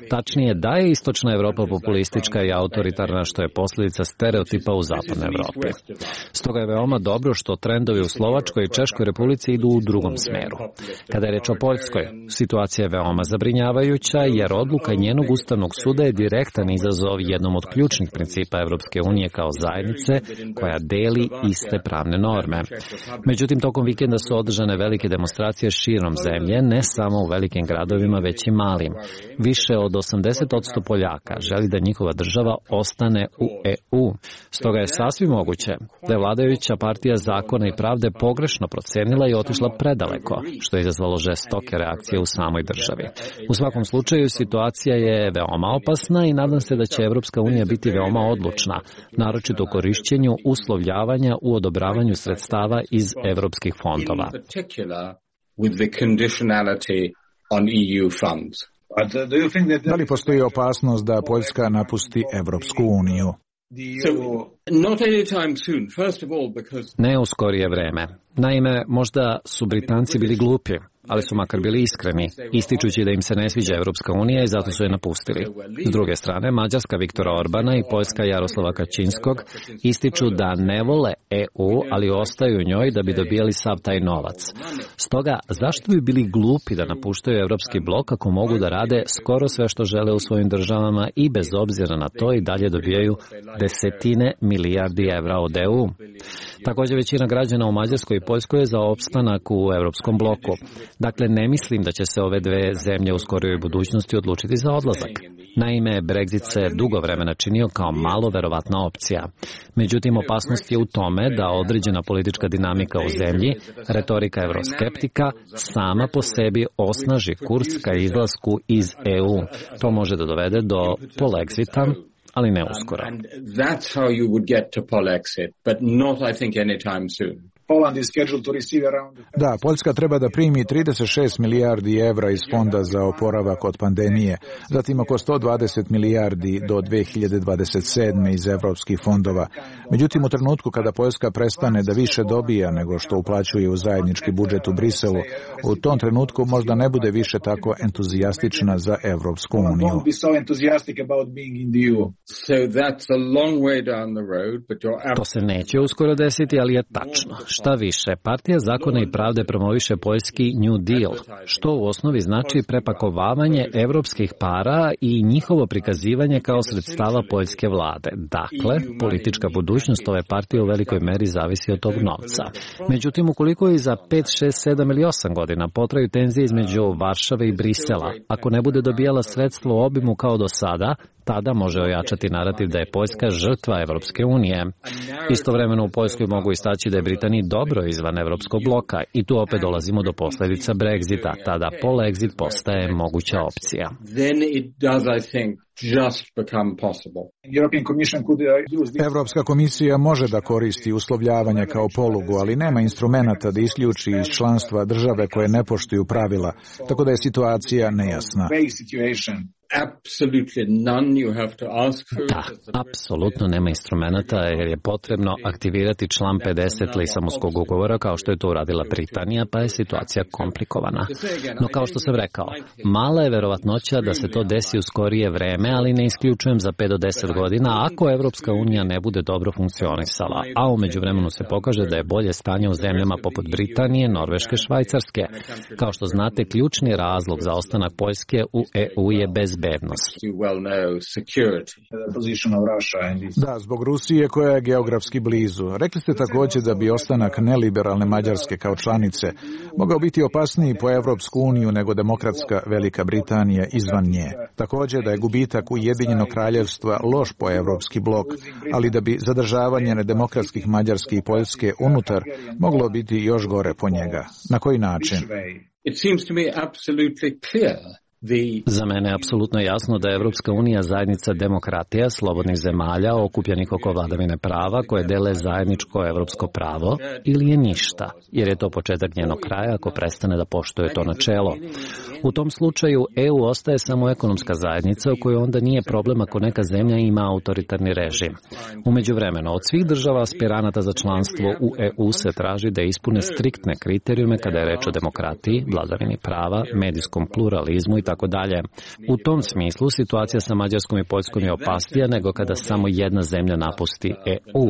S9: Tačnije, da je istočna Evropa populistička i autoritarna, što je posljedica stereotipa u zapadnoj Evropi. Stoga je veoma dobro što trendovi u Slovačkoj i Češkoj Republici idu u drugom smeru. Kada je reč o Poljskoj, situacija je veoma zabrinjavajuća jer odluka njenog Ustavnog suda je direktan izazov jednom od ključnih principa Evropske unije kao zajednice koja deli iste pravne norme. Međutim, tokom vikenda su održane velike demonstracije širom zemlje, ne samo u velikim gradovima, već i malim. Više od osamdeset posto Poljaka želi da njihova država ostane u E U. Stoga je sasvim moguće da je vladajuća partija Zakona i pravde pogrešno procenila i otišla predaleko, što je izazvalo žestoke reakcije u samoj državi. U svakom slučaju, situacija je veoma opasna i nadam se da će Evropska unija biti veoma odlučna, naročito u korišćenju uslovljavanja u odobravanju sredstava iz evropskih fondova.
S1: Da li postoji opasnost da Poljska napusti Evropsku uniju?
S9: Ne u skorije vreme. Naime, možda su Britanci bili glupi, ali su makar bili iskreni, ističući da im se ne sviđa Evropska unija i zato su je napustili. S druge strane, Mađarska Viktora Orbana i Poljska Jaroslava Kačinskog ističu da ne vole E U, ali ostaju u njoj da bi dobijali sav taj novac. Stoga, zašto bi bili glupi da napuštaju Evropski blok ako mogu da rade skoro sve što žele u svojim državama i bez obzira na to i dalje dobijaju desetine milijardi evra od E U? Također, većina građana u Mađarskoj i Poljskoj je za opstanak u Evropskom bloku. Dakle, ne mislim da će se ove dve zemlje u skorijoj budućnosti odlučiti za odlazak. Naime, Brexit se dugo vremena činio kao malo verovatna opcija. Međutim, opasnost je u tome da određena politička dinamika u zemlji, retorika evroskeptika, sama po sebi osnaži kurs ka izlasku iz E U. To može da dovede do polexita, ali ne uskoro.
S1: Da, Poljska treba da primi trideset šest milijardi evra iz fonda za oporavak od pandemije, zatim oko sto dvadeset milijardi do dve hiljade dvadeset sedme iz evropskih fondova. Međutim, u trenutku kada Poljska prestane da više dobija nego što uplaćuje u zajednički budžet u Briselu, u tom trenutku možda ne bude više tako entuzijastična za Evropsku uniju.
S9: To se neće uskoro desiti, ali je tačno. Šta više, Partija zakona i pravde promoviše poljski New Deal, što u osnovi znači prepakovavanje evropskih para i njihovo prikazivanje kao sredstava poljske vlade. Dakle, politička budućnost ove partije u velikoj meri zavisi od tog novca. Međutim, ukoliko i za pet, šest, sedam ili osam godina potraju tenzije između Varšave i Brisela, ako ne bude dobijala sredstvo u obimu kao do sada, tada može ojačati narativ da je Poljska žrtva Evropske unije. Istovremeno u Poljskoj mogu istaći da je Britaniji dobro izvan Evropskog bloka i tu opet dolazimo do posledica Brexita. Tada polexit postaje moguća opcija.
S1: Evropska komisija može da koristi uslovljavanje kao polugu, ali nema instrumenata da isključi iz članstva države koje ne poštuju pravila, tako da je situacija nejasna.
S9: Da, apsolutno nema instrumenta jer je potrebno aktivirati član pedeset Lisabonskog ugovora kao što je to uradila Britanija, pa je situacija komplikovana. No kao što sam rekao, mala je verovatnoća da se to desi u skorije vreme, ali ne isključujem za pet do deset godina ako Evropska unija ne bude dobro funkcionisala, a u međuvremenu se pokaže da je bolje stanje u zemljama poput Britanije, Norveške, Švajcarske. Kao što znate, ključni razlog za ostanak Poljske u E U je bezbednost.
S1: Da, zbog Rusije koja je geografski blizu. Rekli ste također da bi ostanak neliberalne Mađarske kao članice mogao biti opasniji po Evropsku uniju nego demokratska Velika Britanija izvan nje. Također da je gubitak Ujedinjenog kraljevstva loš po Evropski blok, ali da bi zadržavanje nedemokratskih Mađarske i Poljske unutar moglo biti još gore po njega. Na koji način?
S10: It seems to me absolutely clear.
S9: Za mene je apsolutno jasno da je Evropska unija zajednica demokratija, slobodnih zemalja, okupljenih oko vladavine prava, koje dele zajedničko evropsko pravo, ili je ništa, jer je to početak njenog kraja ako prestane da poštuje to načelo. U tom slučaju E U ostaje samo ekonomska zajednica u kojoj onda nije problem ako neka zemlja ima autoritarni režim. U međuvremenu, od svih država aspiranata za članstvo u E U se traži da ispune striktne kriterijume kada je reč o demokratiji, vladavini prava, medijskom pluralizmu i tako dalje. U tom smislu situacija sa Mađarskom i Poljskom je opasnija nego kada samo jedna zemlja napusti E U.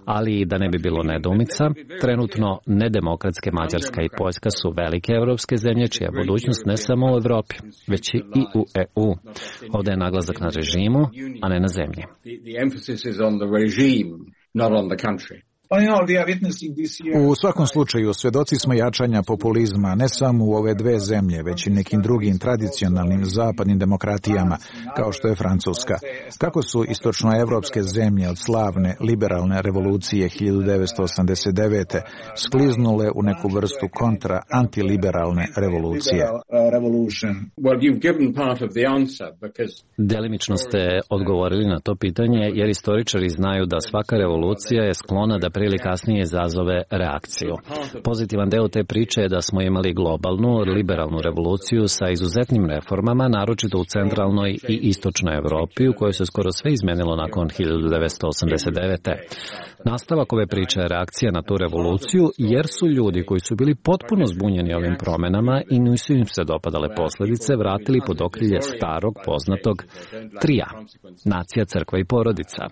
S9: Ali da ne bi bilo nedoumica, trenutno nedemokratske Mađarska i Poljska su velike evropske zemlje čija je budućnost ne samo u Evropi, već i u E U. Ovdje je naglasak na režimu, a ne na zemlji.
S1: U svakom slučaju, svedoci smo jačanja populizma ne samo u ove dve zemlje, već i nekim drugim tradicionalnim zapadnim demokratijama, kao što je Francuska. Kako su istočnoevropske zemlje od slavne liberalne revolucije hiljadu devetsto osamdeset devete skliznule u neku vrstu kontra antiliberalne revolucije?
S9: Delimično ste odgovorili na to pitanje, jer istoričari znaju da svaka revolucija je sklona da prije ili kasnije izazove reakciju. Pozitivan deo te priče je da smo imali globalnu, liberalnu revoluciju sa izuzetnim reformama, naročito u centralnoj i istočnoj Evropi, u kojoj se skoro sve izmenilo nakon hiljadu devetsto osamdeset devete. Nastavak ove priče je reakcija na tu revoluciju, jer su ljudi koji su bili potpuno zbunjeni ovim promenama i nisu im se dopadale posljedice, vratili pod okrilje starog, poznatog trija, nacija, crkva i porodica.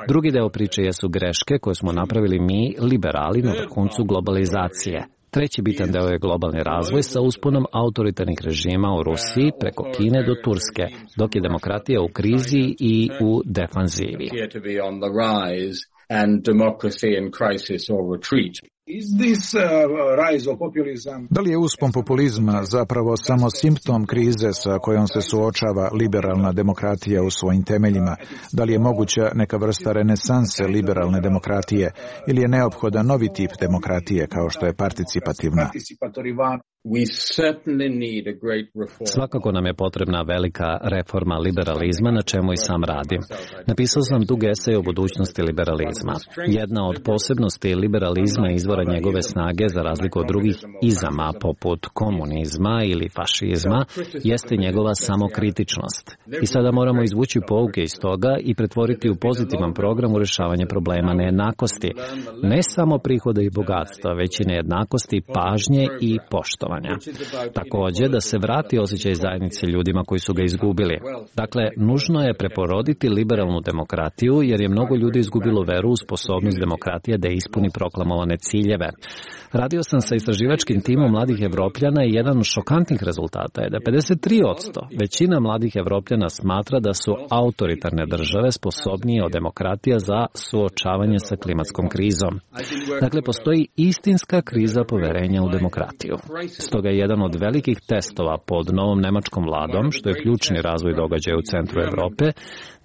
S9: Drugi deo priče jesu greške koje smo napravili mi, liberali, na vrhuncu globalizacije. Treći bitan deo je globalni razvoj sa usponom autoritarnih režima u Rusiji preko Kine do Turske, dok je demokratija u krizi i u defanzivi.
S10: And democracy in crisis or retreat.
S1: Da li je uspon populizma zapravo samo simptom krize sa kojom se suočava liberalna demokratija u svojim temeljima? Da li je moguća neka vrsta renesanse liberalne demokratije ili je neophodan novi tip demokratije kao što je participativna?
S9: Svakako nam je potrebna velika reforma liberalizma, na čemu i sam radim. Napisao sam dug esej o budućnosti liberalizma. Jedna od posebnosti liberalizma je izvora njegove snage, za razliku od drugih izama poput komunizma ili fašizma, jeste njegova samokritičnost. I sada moramo izvući pouke iz toga i pretvoriti u pozitivan program u rješavanje problema nejednakosti. Ne samo prihoda i bogatstva, već i nejednakosti, pažnje i poštovanja. obrazovanja. Takođe, da se vrati osjećaj zajednice ljudima koji su ga izgubili. Dakle, nužno je preporoditi liberalnu demokratiju, jer je mnogo ljudi izgubilo veru u sposobnost demokratije da ispuni proklamovane ciljeve. Radio sam sa istraživačkim timom mladih Evropljana i jedan od šokantnih rezultata je da pedeset tri posto većina mladih Evropljana smatra da su autoritarne države sposobnije od demokratija za suočavanje sa klimatskom krizom. Dakle, postoji istinska kriza poverenja u demokratiju. Stoga je jedan od velikih testova pod novom nemačkom vladom, što je ključni razvoj događaja u centru Evrope,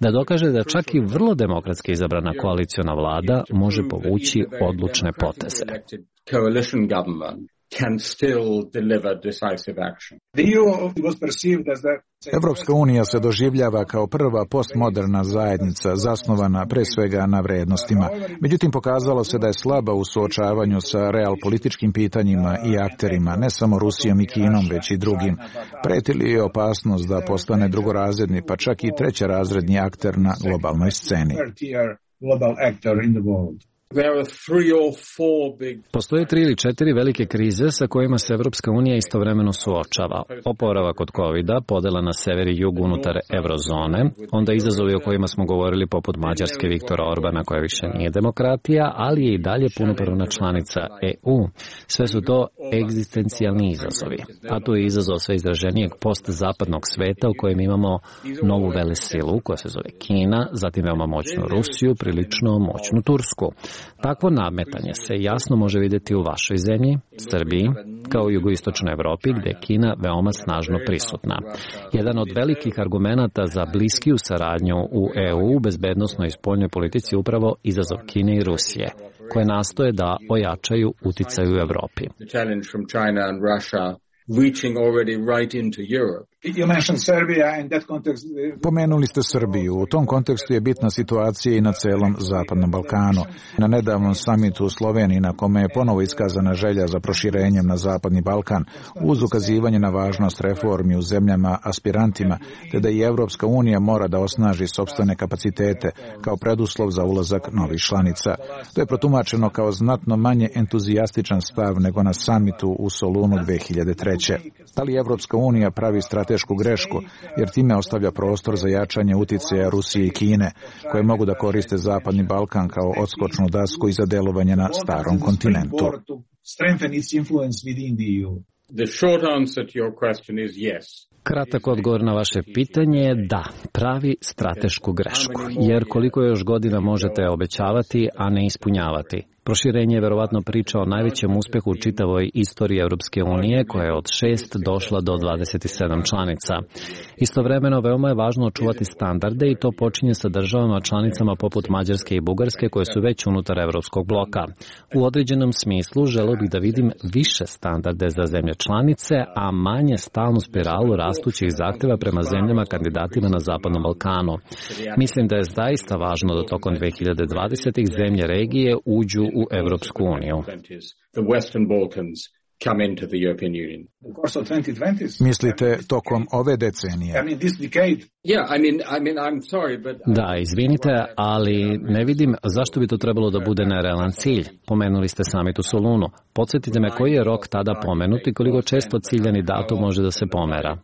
S9: da dokaže da čak i vrlo demokratski izabrana koaliciona vlada može povući odlučne poteze.
S10: Coalition government can still deliver decisive action.
S1: Evropska unija se doživljava kao prva postmoderna zajednica zasnovana pre svega na vrednostima. Međutim, pokazalo se da je slaba u suočavanju sa realpolitičkim pitanjima i akterima, ne samo Rusijom i Kinom, već i drugim. Preti li je opasnost da postane drugorazredni, pa čak i trećerazredni akter na globalnoj sceni?
S9: Postoje tri ili četiri velike krize sa kojima se Evropska unija istovremeno suočava. Oporavak od kovida, podela na sever i jug unutar eurozone, onda izazovi o kojima smo govorili poput Mađarske Viktora Orbana koja više nije demokratija, ali je i dalje punopravna članica E U. Sve su to egzistencijalni izazovi. A tu je izazov sve izraženijeg postzapadnog sveta u kojem imamo novu velesilu koja se zove Kina, zatim veoma moćnu Rusiju, prilično moćnu Tursku. Takvo nametanje se jasno može vidjeti u vašoj zemlji, Srbiji, kao i jugoistočnoj Evropi, gde je Kina veoma snažno prisutna. Jedan od velikih argumenata za bliskiju saradnju u E U u bezbednosnoj i spoljnoj politici je upravo izazov Kine i Rusije, koje nastoje da ojačaju uticaj u Evropi.
S10: Reaching already right into Europe.
S1: Pomenuli ste Srbiju. U tom kontekstu je bitna situacija i na celom Zapadnom Balkanu. Na nedavnom samitu u Sloveniji, na kome je ponovo iskazana želja za proširenjem na Zapadni Balkan, uz ukazivanje na važnost reformi u zemljama aspirantima, te da i Evropska unija mora da osnaži sopstvene kapacitete kao preduslov za ulazak novih članica. To je protumačeno kao znatno manje entuzijastičan stav nego na samitu u Solunu dve hiljade treće. Da li Evropska unija pravi stratešku grešku, jer time ostavlja prostor za jačanje uticaja Rusije i Kine, koje mogu da koriste Zapadni Balkan kao odskočnu dasku i za delovanje na starom kontinentu?
S10: The short answer to your question is yes.
S9: Kratak odgovor na vaše pitanje je da, pravi stratešku grešku, jer koliko još godina možete obećavati, a ne ispunjavati. Proširenje je verovatno priča o najvećem uspehu u čitavoj istoriji Europske unije, koja je od šest došla do dvadeset sedam članica. Istovremeno, veoma je važno očuvati standarde i to počinje sa državama članicama poput Mađarske i Bugarske, koje su već unutar Evropskog bloka. U određenom smislu želeo bih da vidim više standarde za zemlje članice, a manje stalnu spiralu rastućih zahteva prema zemljama kandidatima na Zapadnom Balkanu. Mislim da je zaista važno da tokom dve hiljade dvadesete. zemlje regije uđu u Evropsku uniju.
S1: Mislite tokom ove decenije?
S9: Da, izvinite, ali ne vidim zašto bi to trebalo da bude nerealan cilj. Pomenuli ste samit u Solunu. Podsjetite me koji je rok tada pomenut i koliko često ciljani datum može da se pomera.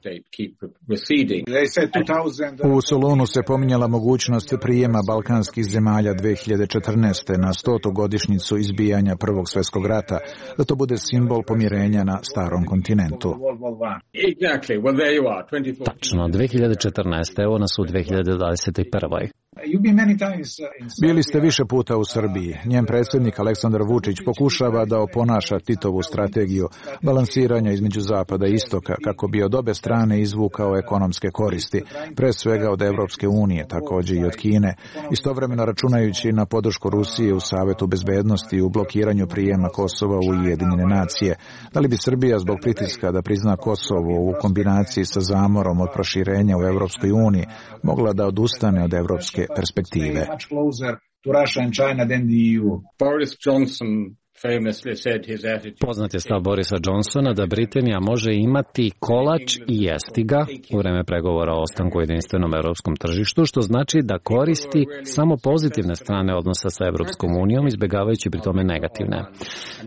S1: U Solunu se pominjala mogućnost prijema balkanskih zemalja dve hiljade četrnaeste. na stotu godišnjicu izbijanja Prvog svjetskog rata, da to bude simbol pomirenja na starom kontinentu.
S9: Tačno, dve hiljade četrnaeste. Evo nas u dve hiljade dvadeset prve.
S1: Bili ste više puta u Srbiji. Njen predsjednik Aleksandar Vučić pokušava da oponaša Titovu strategiju balansiranja između zapada i istoka kako bi od obe strane izvukao ekonomske koristi, pre svega od Evropske unije, također i od Kine, istovremeno računajući na podršku Rusije u Savetu bezbednosti i u blokiranju prijema Kosova u Ujedinjene nacije. Da li bi Srbija zbog pritiska da prizna Kosovo u kombinaciji sa zamorom od proširenja u Evropskoj uniji mogla da odustane od evropske perspektive?
S10: Boris Johnson
S9: Poznat je stav Borisa Johnsona da Britanija može imati kolač i jesti ga u vreme pregovora o ostanku u jedinstvenom evropskom tržištu, što znači da koristi samo pozitivne strane odnosa sa Evropskom unijom, izbjegavajući pri tome negativne.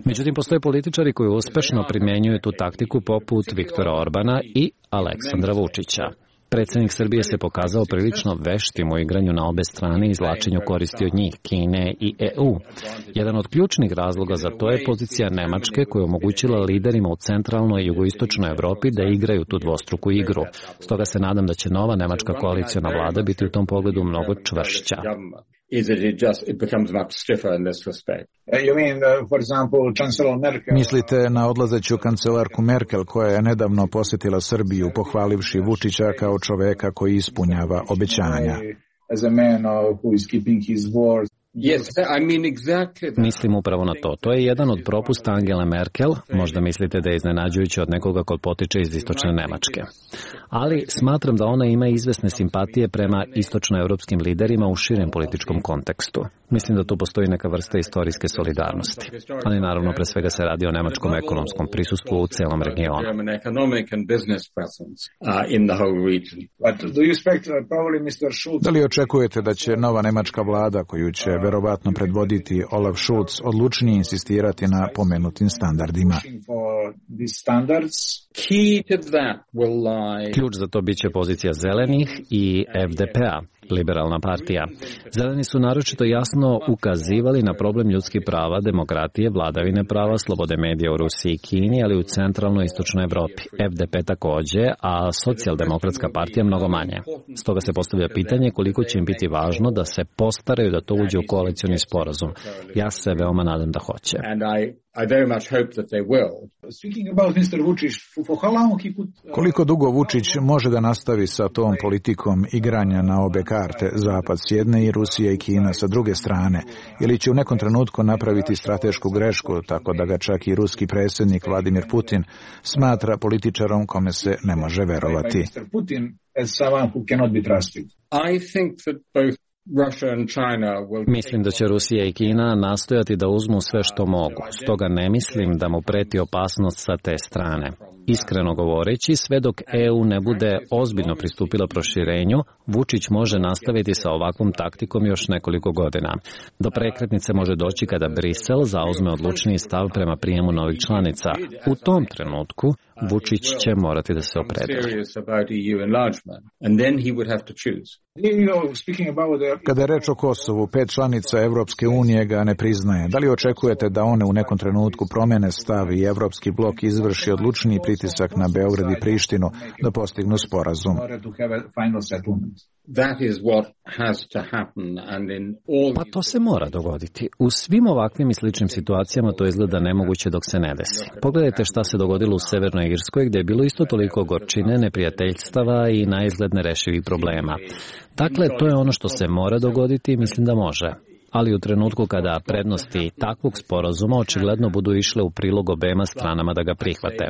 S9: Međutim, postoje političari koji uspešno primjenjuju tu taktiku poput Viktora Orbana i Aleksandra Vučića. Predsjednik Srbije se pokazao prilično veštim u igranju na obe strane i izvlačenju koristi od njih, Kine i E U. Jedan od ključnih razloga za to je pozicija Nemačke koja je omogućila liderima u centralnoj i jugoistočnoj Evropi da igraju tu dvostruku igru. Stoga se nadam da će nova nemačka koaliciona vlada biti u tom pogledu mnogo čvršća.
S1: Mislite na odlazeću kancelarku Merkel koja je nedavno posjetila Srbiju pohvalivši Vučića kao čoveka koji ispunjava obećanja.
S9: Mislim upravo na to. To je jedan od propusta Angele Merkel. Možda mislite da je iznenađujuće od nekoga ko potiče iz istočne Nemačke. Ali smatram da ona ima izvesne simpatije prema istočnoevropskim liderima u širem političkom kontekstu. Mislim da tu postoji neka vrsta istorijske solidarnosti. Ali naravno pre svega se radi o nemačkom ekonomskom prisustvu u celom regionu.
S1: Da li očekujete da će nova nemačka vlada koju će verovatno predvoditi Olaf Scholz odlučnije insistirati na pomenutim standardima?
S9: Ključ za to biće pozicija zelenih i F D P-a, liberalna partija. Zeleni su naročito jasno ukazivali na problem ljudskih prava, demokratije, vladavine prava, slobode medija u Rusiji i Kini, ali u centralnoj i istočnoj Evropi. F D P takođe, a socijaldemokratska partija mnogo manje. Stoga se postavlja pitanje koliko će im biti važno da se postaraju da to uđe u koalicioni sporazum. Ja se veoma nadam da hoće.
S11: I very much hope that they will. Speaking about mister Vučić, for how long he could...
S1: Koliko dugo Vučić može da nastavi sa tom politikom igranja na obe karte, Zapad s jedne i Rusija i Kina sa druge strane, ili će u nekom trenutku napraviti stratešku grešku, tako da ga čak i ruski predsjednik Vladimir Putin smatra političarom kome se ne može verovati?
S11: mister Putin as someone who cannot be trusted. I think that both
S9: Mislim da će Rusija i Kina nastojati da uzmu sve što mogu, stoga ne mislim da mu preti opasnost sa te strane. Iskreno govoreći, sve dok E U ne bude ozbiljno pristupila proširenju, Vučić može nastaviti sa ovakvom taktikom još nekoliko godina. Do prekretnice može doći kada Brisel zauzme odlučniji stav prema prijemu novih članica. U tom trenutku Vučić će morati da se opredeli.
S1: Kada je reč o Kosovu, pet članica Evropske unije ga ne priznaje. Da li očekujete da one u nekom trenutku promene stav i Evropski blok izvrši odlučniji pritisak na Beograd i Prištinu da postignu sporazum?
S9: Pa to se mora dogoditi. U svim ovakvim i sličnim situacijama to izgleda nemoguće dok se ne desi. Pogledajte šta se dogodilo u Severnoj Irskoj gdje je bilo isto toliko gorčine, neprijateljstava i naizgled nerešivih problema. Dakle, to je ono što se mora dogoditi i mislim da može. Ali u trenutku kada prednosti takvog sporazuma očigledno budu išle u prilog obema stranama da ga prihvate.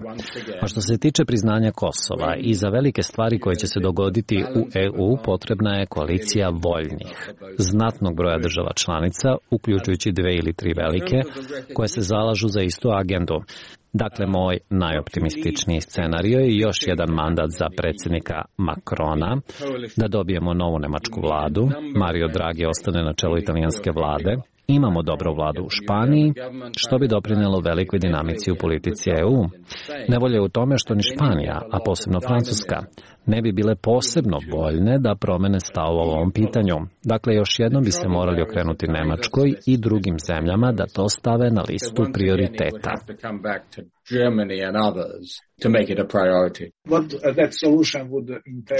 S9: A što se tiče priznanja Kosova i za velike stvari koje će se dogoditi u E U potrebna je koalicija voljnih, znatnog broja država članica, uključujući dve ili tri velike, koje se zalažu za istu agendu. Dakle, moj najoptimističniji scenario je još jedan mandat za predsjednika Macrona, da dobijemo novu nemačku vladu, Mario Draghi ostane na čelu italijanske vlade, imamo dobru vladu u Španiji, što bi doprinelo velikoj dinamici u politici E U. Nevolja je u tome što ni Španija, a posebno Francuska, ne bi bile posebno voljne da promene stav o ovom pitanju. Dakle, još jednom bi se morali okrenuti Nemačkoj i drugim zemljama da to stave na listu prioriteta.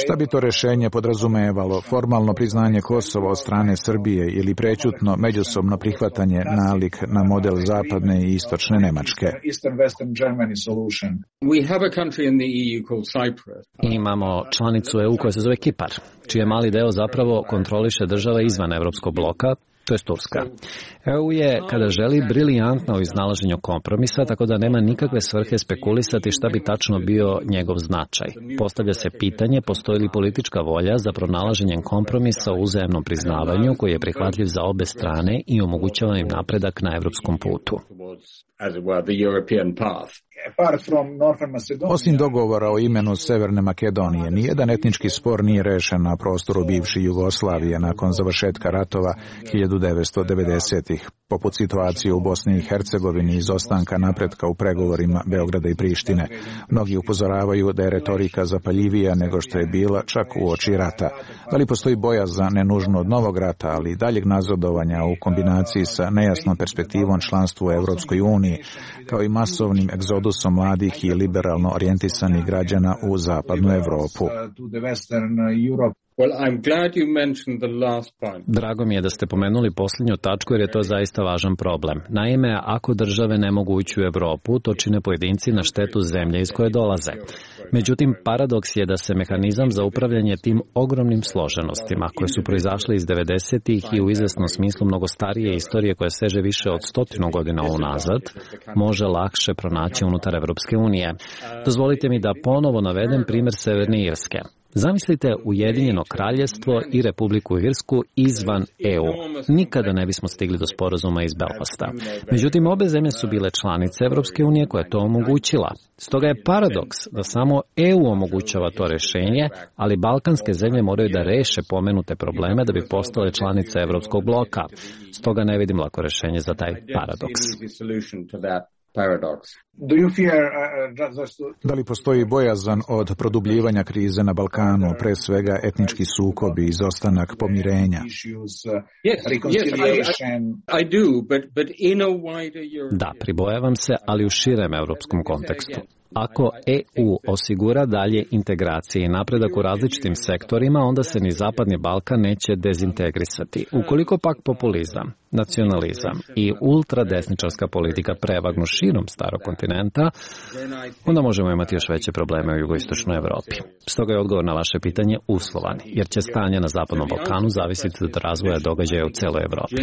S1: Šta bi to rešenje podrazumevalo? Formalno priznanje Kosova od strane Srbije ili prećutno međusobno prihvatanje nalik na model zapadne i istočne Nemačke?
S9: Imamo članicu E U koja se zove Kipar, čije mali deo zapravo kontroliše država izvan Evropskog bloka, to je Turska. E U je, kada želi, briljantna u iznalaženju kompromisa, tako da nema nikakve svrhe spekulisati šta bi tačno bio njegov značaj. Postavlja se pitanje, postoji li politička volja za pronalaženjem kompromisa u uzajamnom priznavanju koji je prihvatljiv za obe strane i omogućava im napredak na evropskom putu.
S1: Osim dogovora o imenu Severne Makedonije, nijedan etnički spor nije rešen na prostoru bivše Jugoslavije nakon završetka ratova hiljadu devetsto devedesetih, poput situacije u Bosni i Hercegovini i izostanka napretka u pregovorima Beograda i Prištine. Mnogi upozoravaju da je retorika zapaljivija nego što je bila čak u oči rata. Da li postoji bojazan ne nužno od novog rata, ali i daljeg nazadovanja u kombinaciji sa nejasnom perspektivom članstva u Evropskoj uniji, kao i masovnim egzodusom mladih i liberalno orijentisanih građana u zapadnu Evropu?
S10: Well, I'm glad you mentioned the last point.
S9: Drago mi je da ste pomenuli posljednju tačku jer je to zaista važan problem. Naime, ako države ne mogu ući u Evropu, to čine pojedinci na štetu zemlje iz koje dolaze. Međutim, paradoks je da se mehanizam za upravljanje tim ogromnim složenostima, koje su proizašle iz devedesetih i u izvesnom smislu mnogo starije istorije koja seže više od stotinu godina unazad, može lakše pronaći unutar Evropske unije. Dozvolite mi da ponovo navedem primjer Severne Irske. Zamislite Ujedinjeno kraljevstvo i Republiku Irsku izvan E U. Nikada ne bismo stigli do sporazuma iz Belfasta. Međutim, obe zemlje su bile članice Evropske unije koja je to omogućila. Stoga je paradoks da samo E U omogućava to rešenje, ali balkanske zemlje moraju da reše pomenute probleme da bi postale članice Evropskog bloka. Stoga ne vidim lako rešenje za taj paradoks.
S1: Da li postoji bojazan od produbljivanja krize na Balkanu, pre svega etnički sukobi i izostanak pomirenja?
S9: Da, pribojavam se, ali u širem evropskom kontekstu. Ako E U osigura dalje integracije i napredak u različitim sektorima, onda se ni Zapadni Balkan neće dezintegrisati. Ukoliko pak populizam, nacionalizam i ultradesničarska politika prevagnu širom starog kontinenta, onda možemo imati još veće probleme u jugoistočnoj Evropi. Stoga je odgovor na vaše pitanje uslovan, jer će stanje na Zapadnom Balkanu zavisiti od razvoja događaja u celoj Evropi.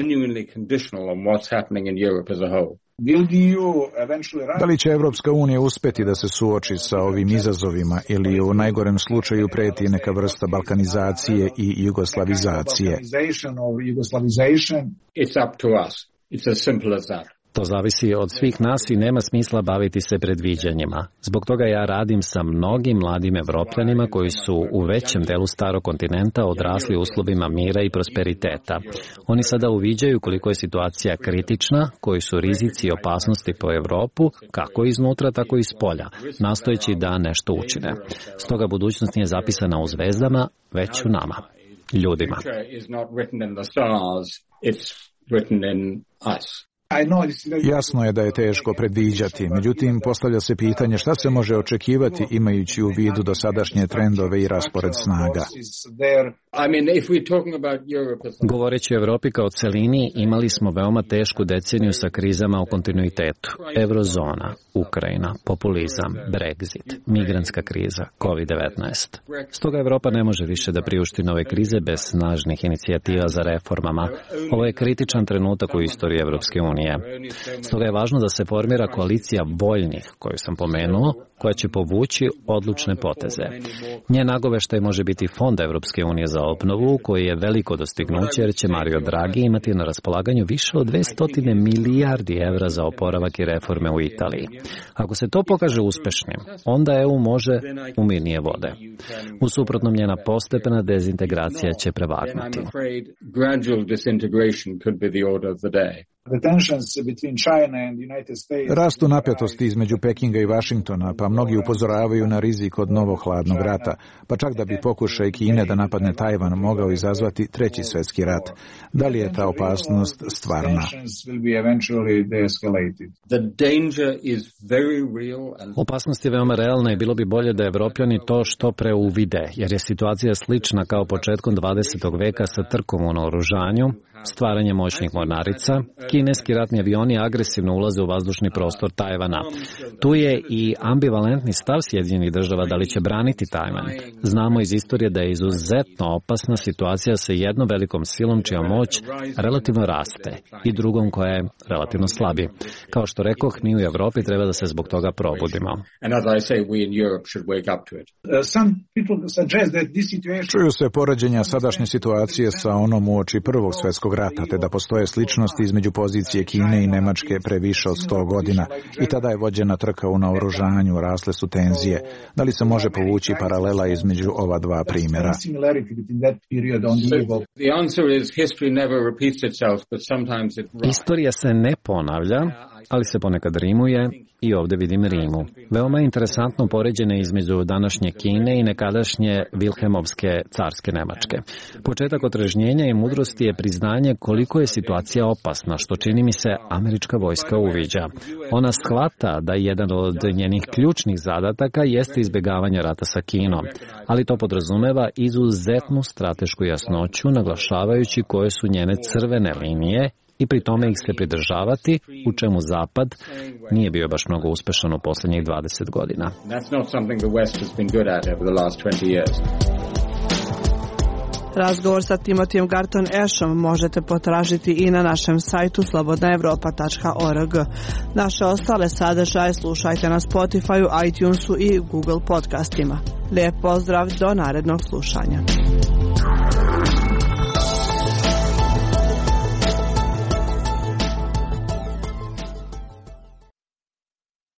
S1: Da li će Evropska unija uspeti da se suoči sa ovim izazovima ili u najgorem slučaju preti neka vrsta balkanizacije i jugoslavizacije?
S10: It's up to us. It's as simple as that.
S9: To zavisi od svih nas i nema smisla baviti se predviđanjima. Zbog toga ja radim sa mnogim mladim Evropljanima koji su u većem delu starog kontinenta odrasli u uslovima mira i prosperiteta. Oni sada uviđaju koliko je situacija kritična, koji su rizici i opasnosti po Evropu, kako iznutra, tako i spolja, nastojeći da nešto učine. Stoga budućnost nije zapisana u zvezdama, već u nama, ljudima.
S1: Jasno je da je teško predviđati, međutim postavlja se pitanje šta se može očekivati imajući u vidu dosadašnje trendove i raspored snaga.
S9: Govoreći o Evropi kao celini, imali smo veoma tešku deceniju sa krizama u kontinuitetu. Eurozona, Ukrajina, populizam, Brexit, migrantska kriza, kovid devetnaest. Stoga Evropa ne može više da priušti nove krize bez snažnih inicijativa za reformama. Ovo je kritičan trenutak u istoriji Evropske unije. Stoga je važno da se formira koalicija voljnih, koju sam pomenuo, koja će povući odlučne poteze. Njen nagoveštaj može biti Fond Evropske unije za obnovu, koji je veliko dostignuće jer će Mario Draghi imati na raspolaganju više od dvesta milijardi evra za oporavak i reforme u Italiji. Ako se to pokaže uspešnim, onda E U može u mirnije vode. U suprotnom, njena postepena dezintegracija će prevagnuti.
S1: Rastu napetosti između Pekinga i Vašingtona, pa mnogi upozoravaju na rizik od novog hladnog rata, pa čak da bi pokušaj Kine da napadne Tajvan mogao izazvati treći svjetski rat. Da li je ta opasnost stvarna?
S9: Opasnost je veoma realna i bilo bi bolje da Evropljani to što pre uvide, jer je situacija slična kao početkom dvadesetog veka sa trkom u naoružanju, stvaranje moćnih mornarica, kineski ratni avioni agresivno ulaze u vazdušni prostor Tajvana. Tu je i ambivalentni stav Sjedinjenih država da li će braniti Tajvan. Znamo iz istorije da je izuzetno opasna situacija sa jednom velikom silom čija moć relativno raste i drugom koja je relativno slabi. Kao što rekoh, mi u Evropi treba da se zbog toga probudimo.
S1: Čuju se poređenja sadašnje situacije sa onom uoči Prvog svjetskog rata, te da postoje sličnosti između pozicije Kine i Nemačke pre više od sto godina i tada je vođena trka u naoružanju, rasle su tenzije. Da li se može povući paralela između ova dva primjera?
S9: Istorija se ne ponavlja, ali se ponekad rimuje i ovdje vidim rimu. Veoma je interesantno poređenje između današnje Kine i nekadašnje Vilhelmovske carske Nemačke. Početak otrežnjenja i mudrosti je priznanje koliko je situacija opasna, što čini mi se američka vojska uviđa. Ona shvata da jedan od njenih ključnih zadataka jeste izbjegavanje rata sa Kinom, ali to podrazumeva izuzetnu stratešku jasnoću, naglašavajući koje su njene crvene linije i pri tome ih se pridržavati, u čemu Zapad nije bio baš mnogo uspešan u posljednjih dvadeset godina.
S8: Razgovor sa Timothyjem Garton Ashom možete potražiti i na našem sajtu slobodna evropa tačka org. Naše ostale sadržaje slušajte na Spotifyu, iTunesu i Google podcastima. Lijep pozdrav, do narednog slušanja.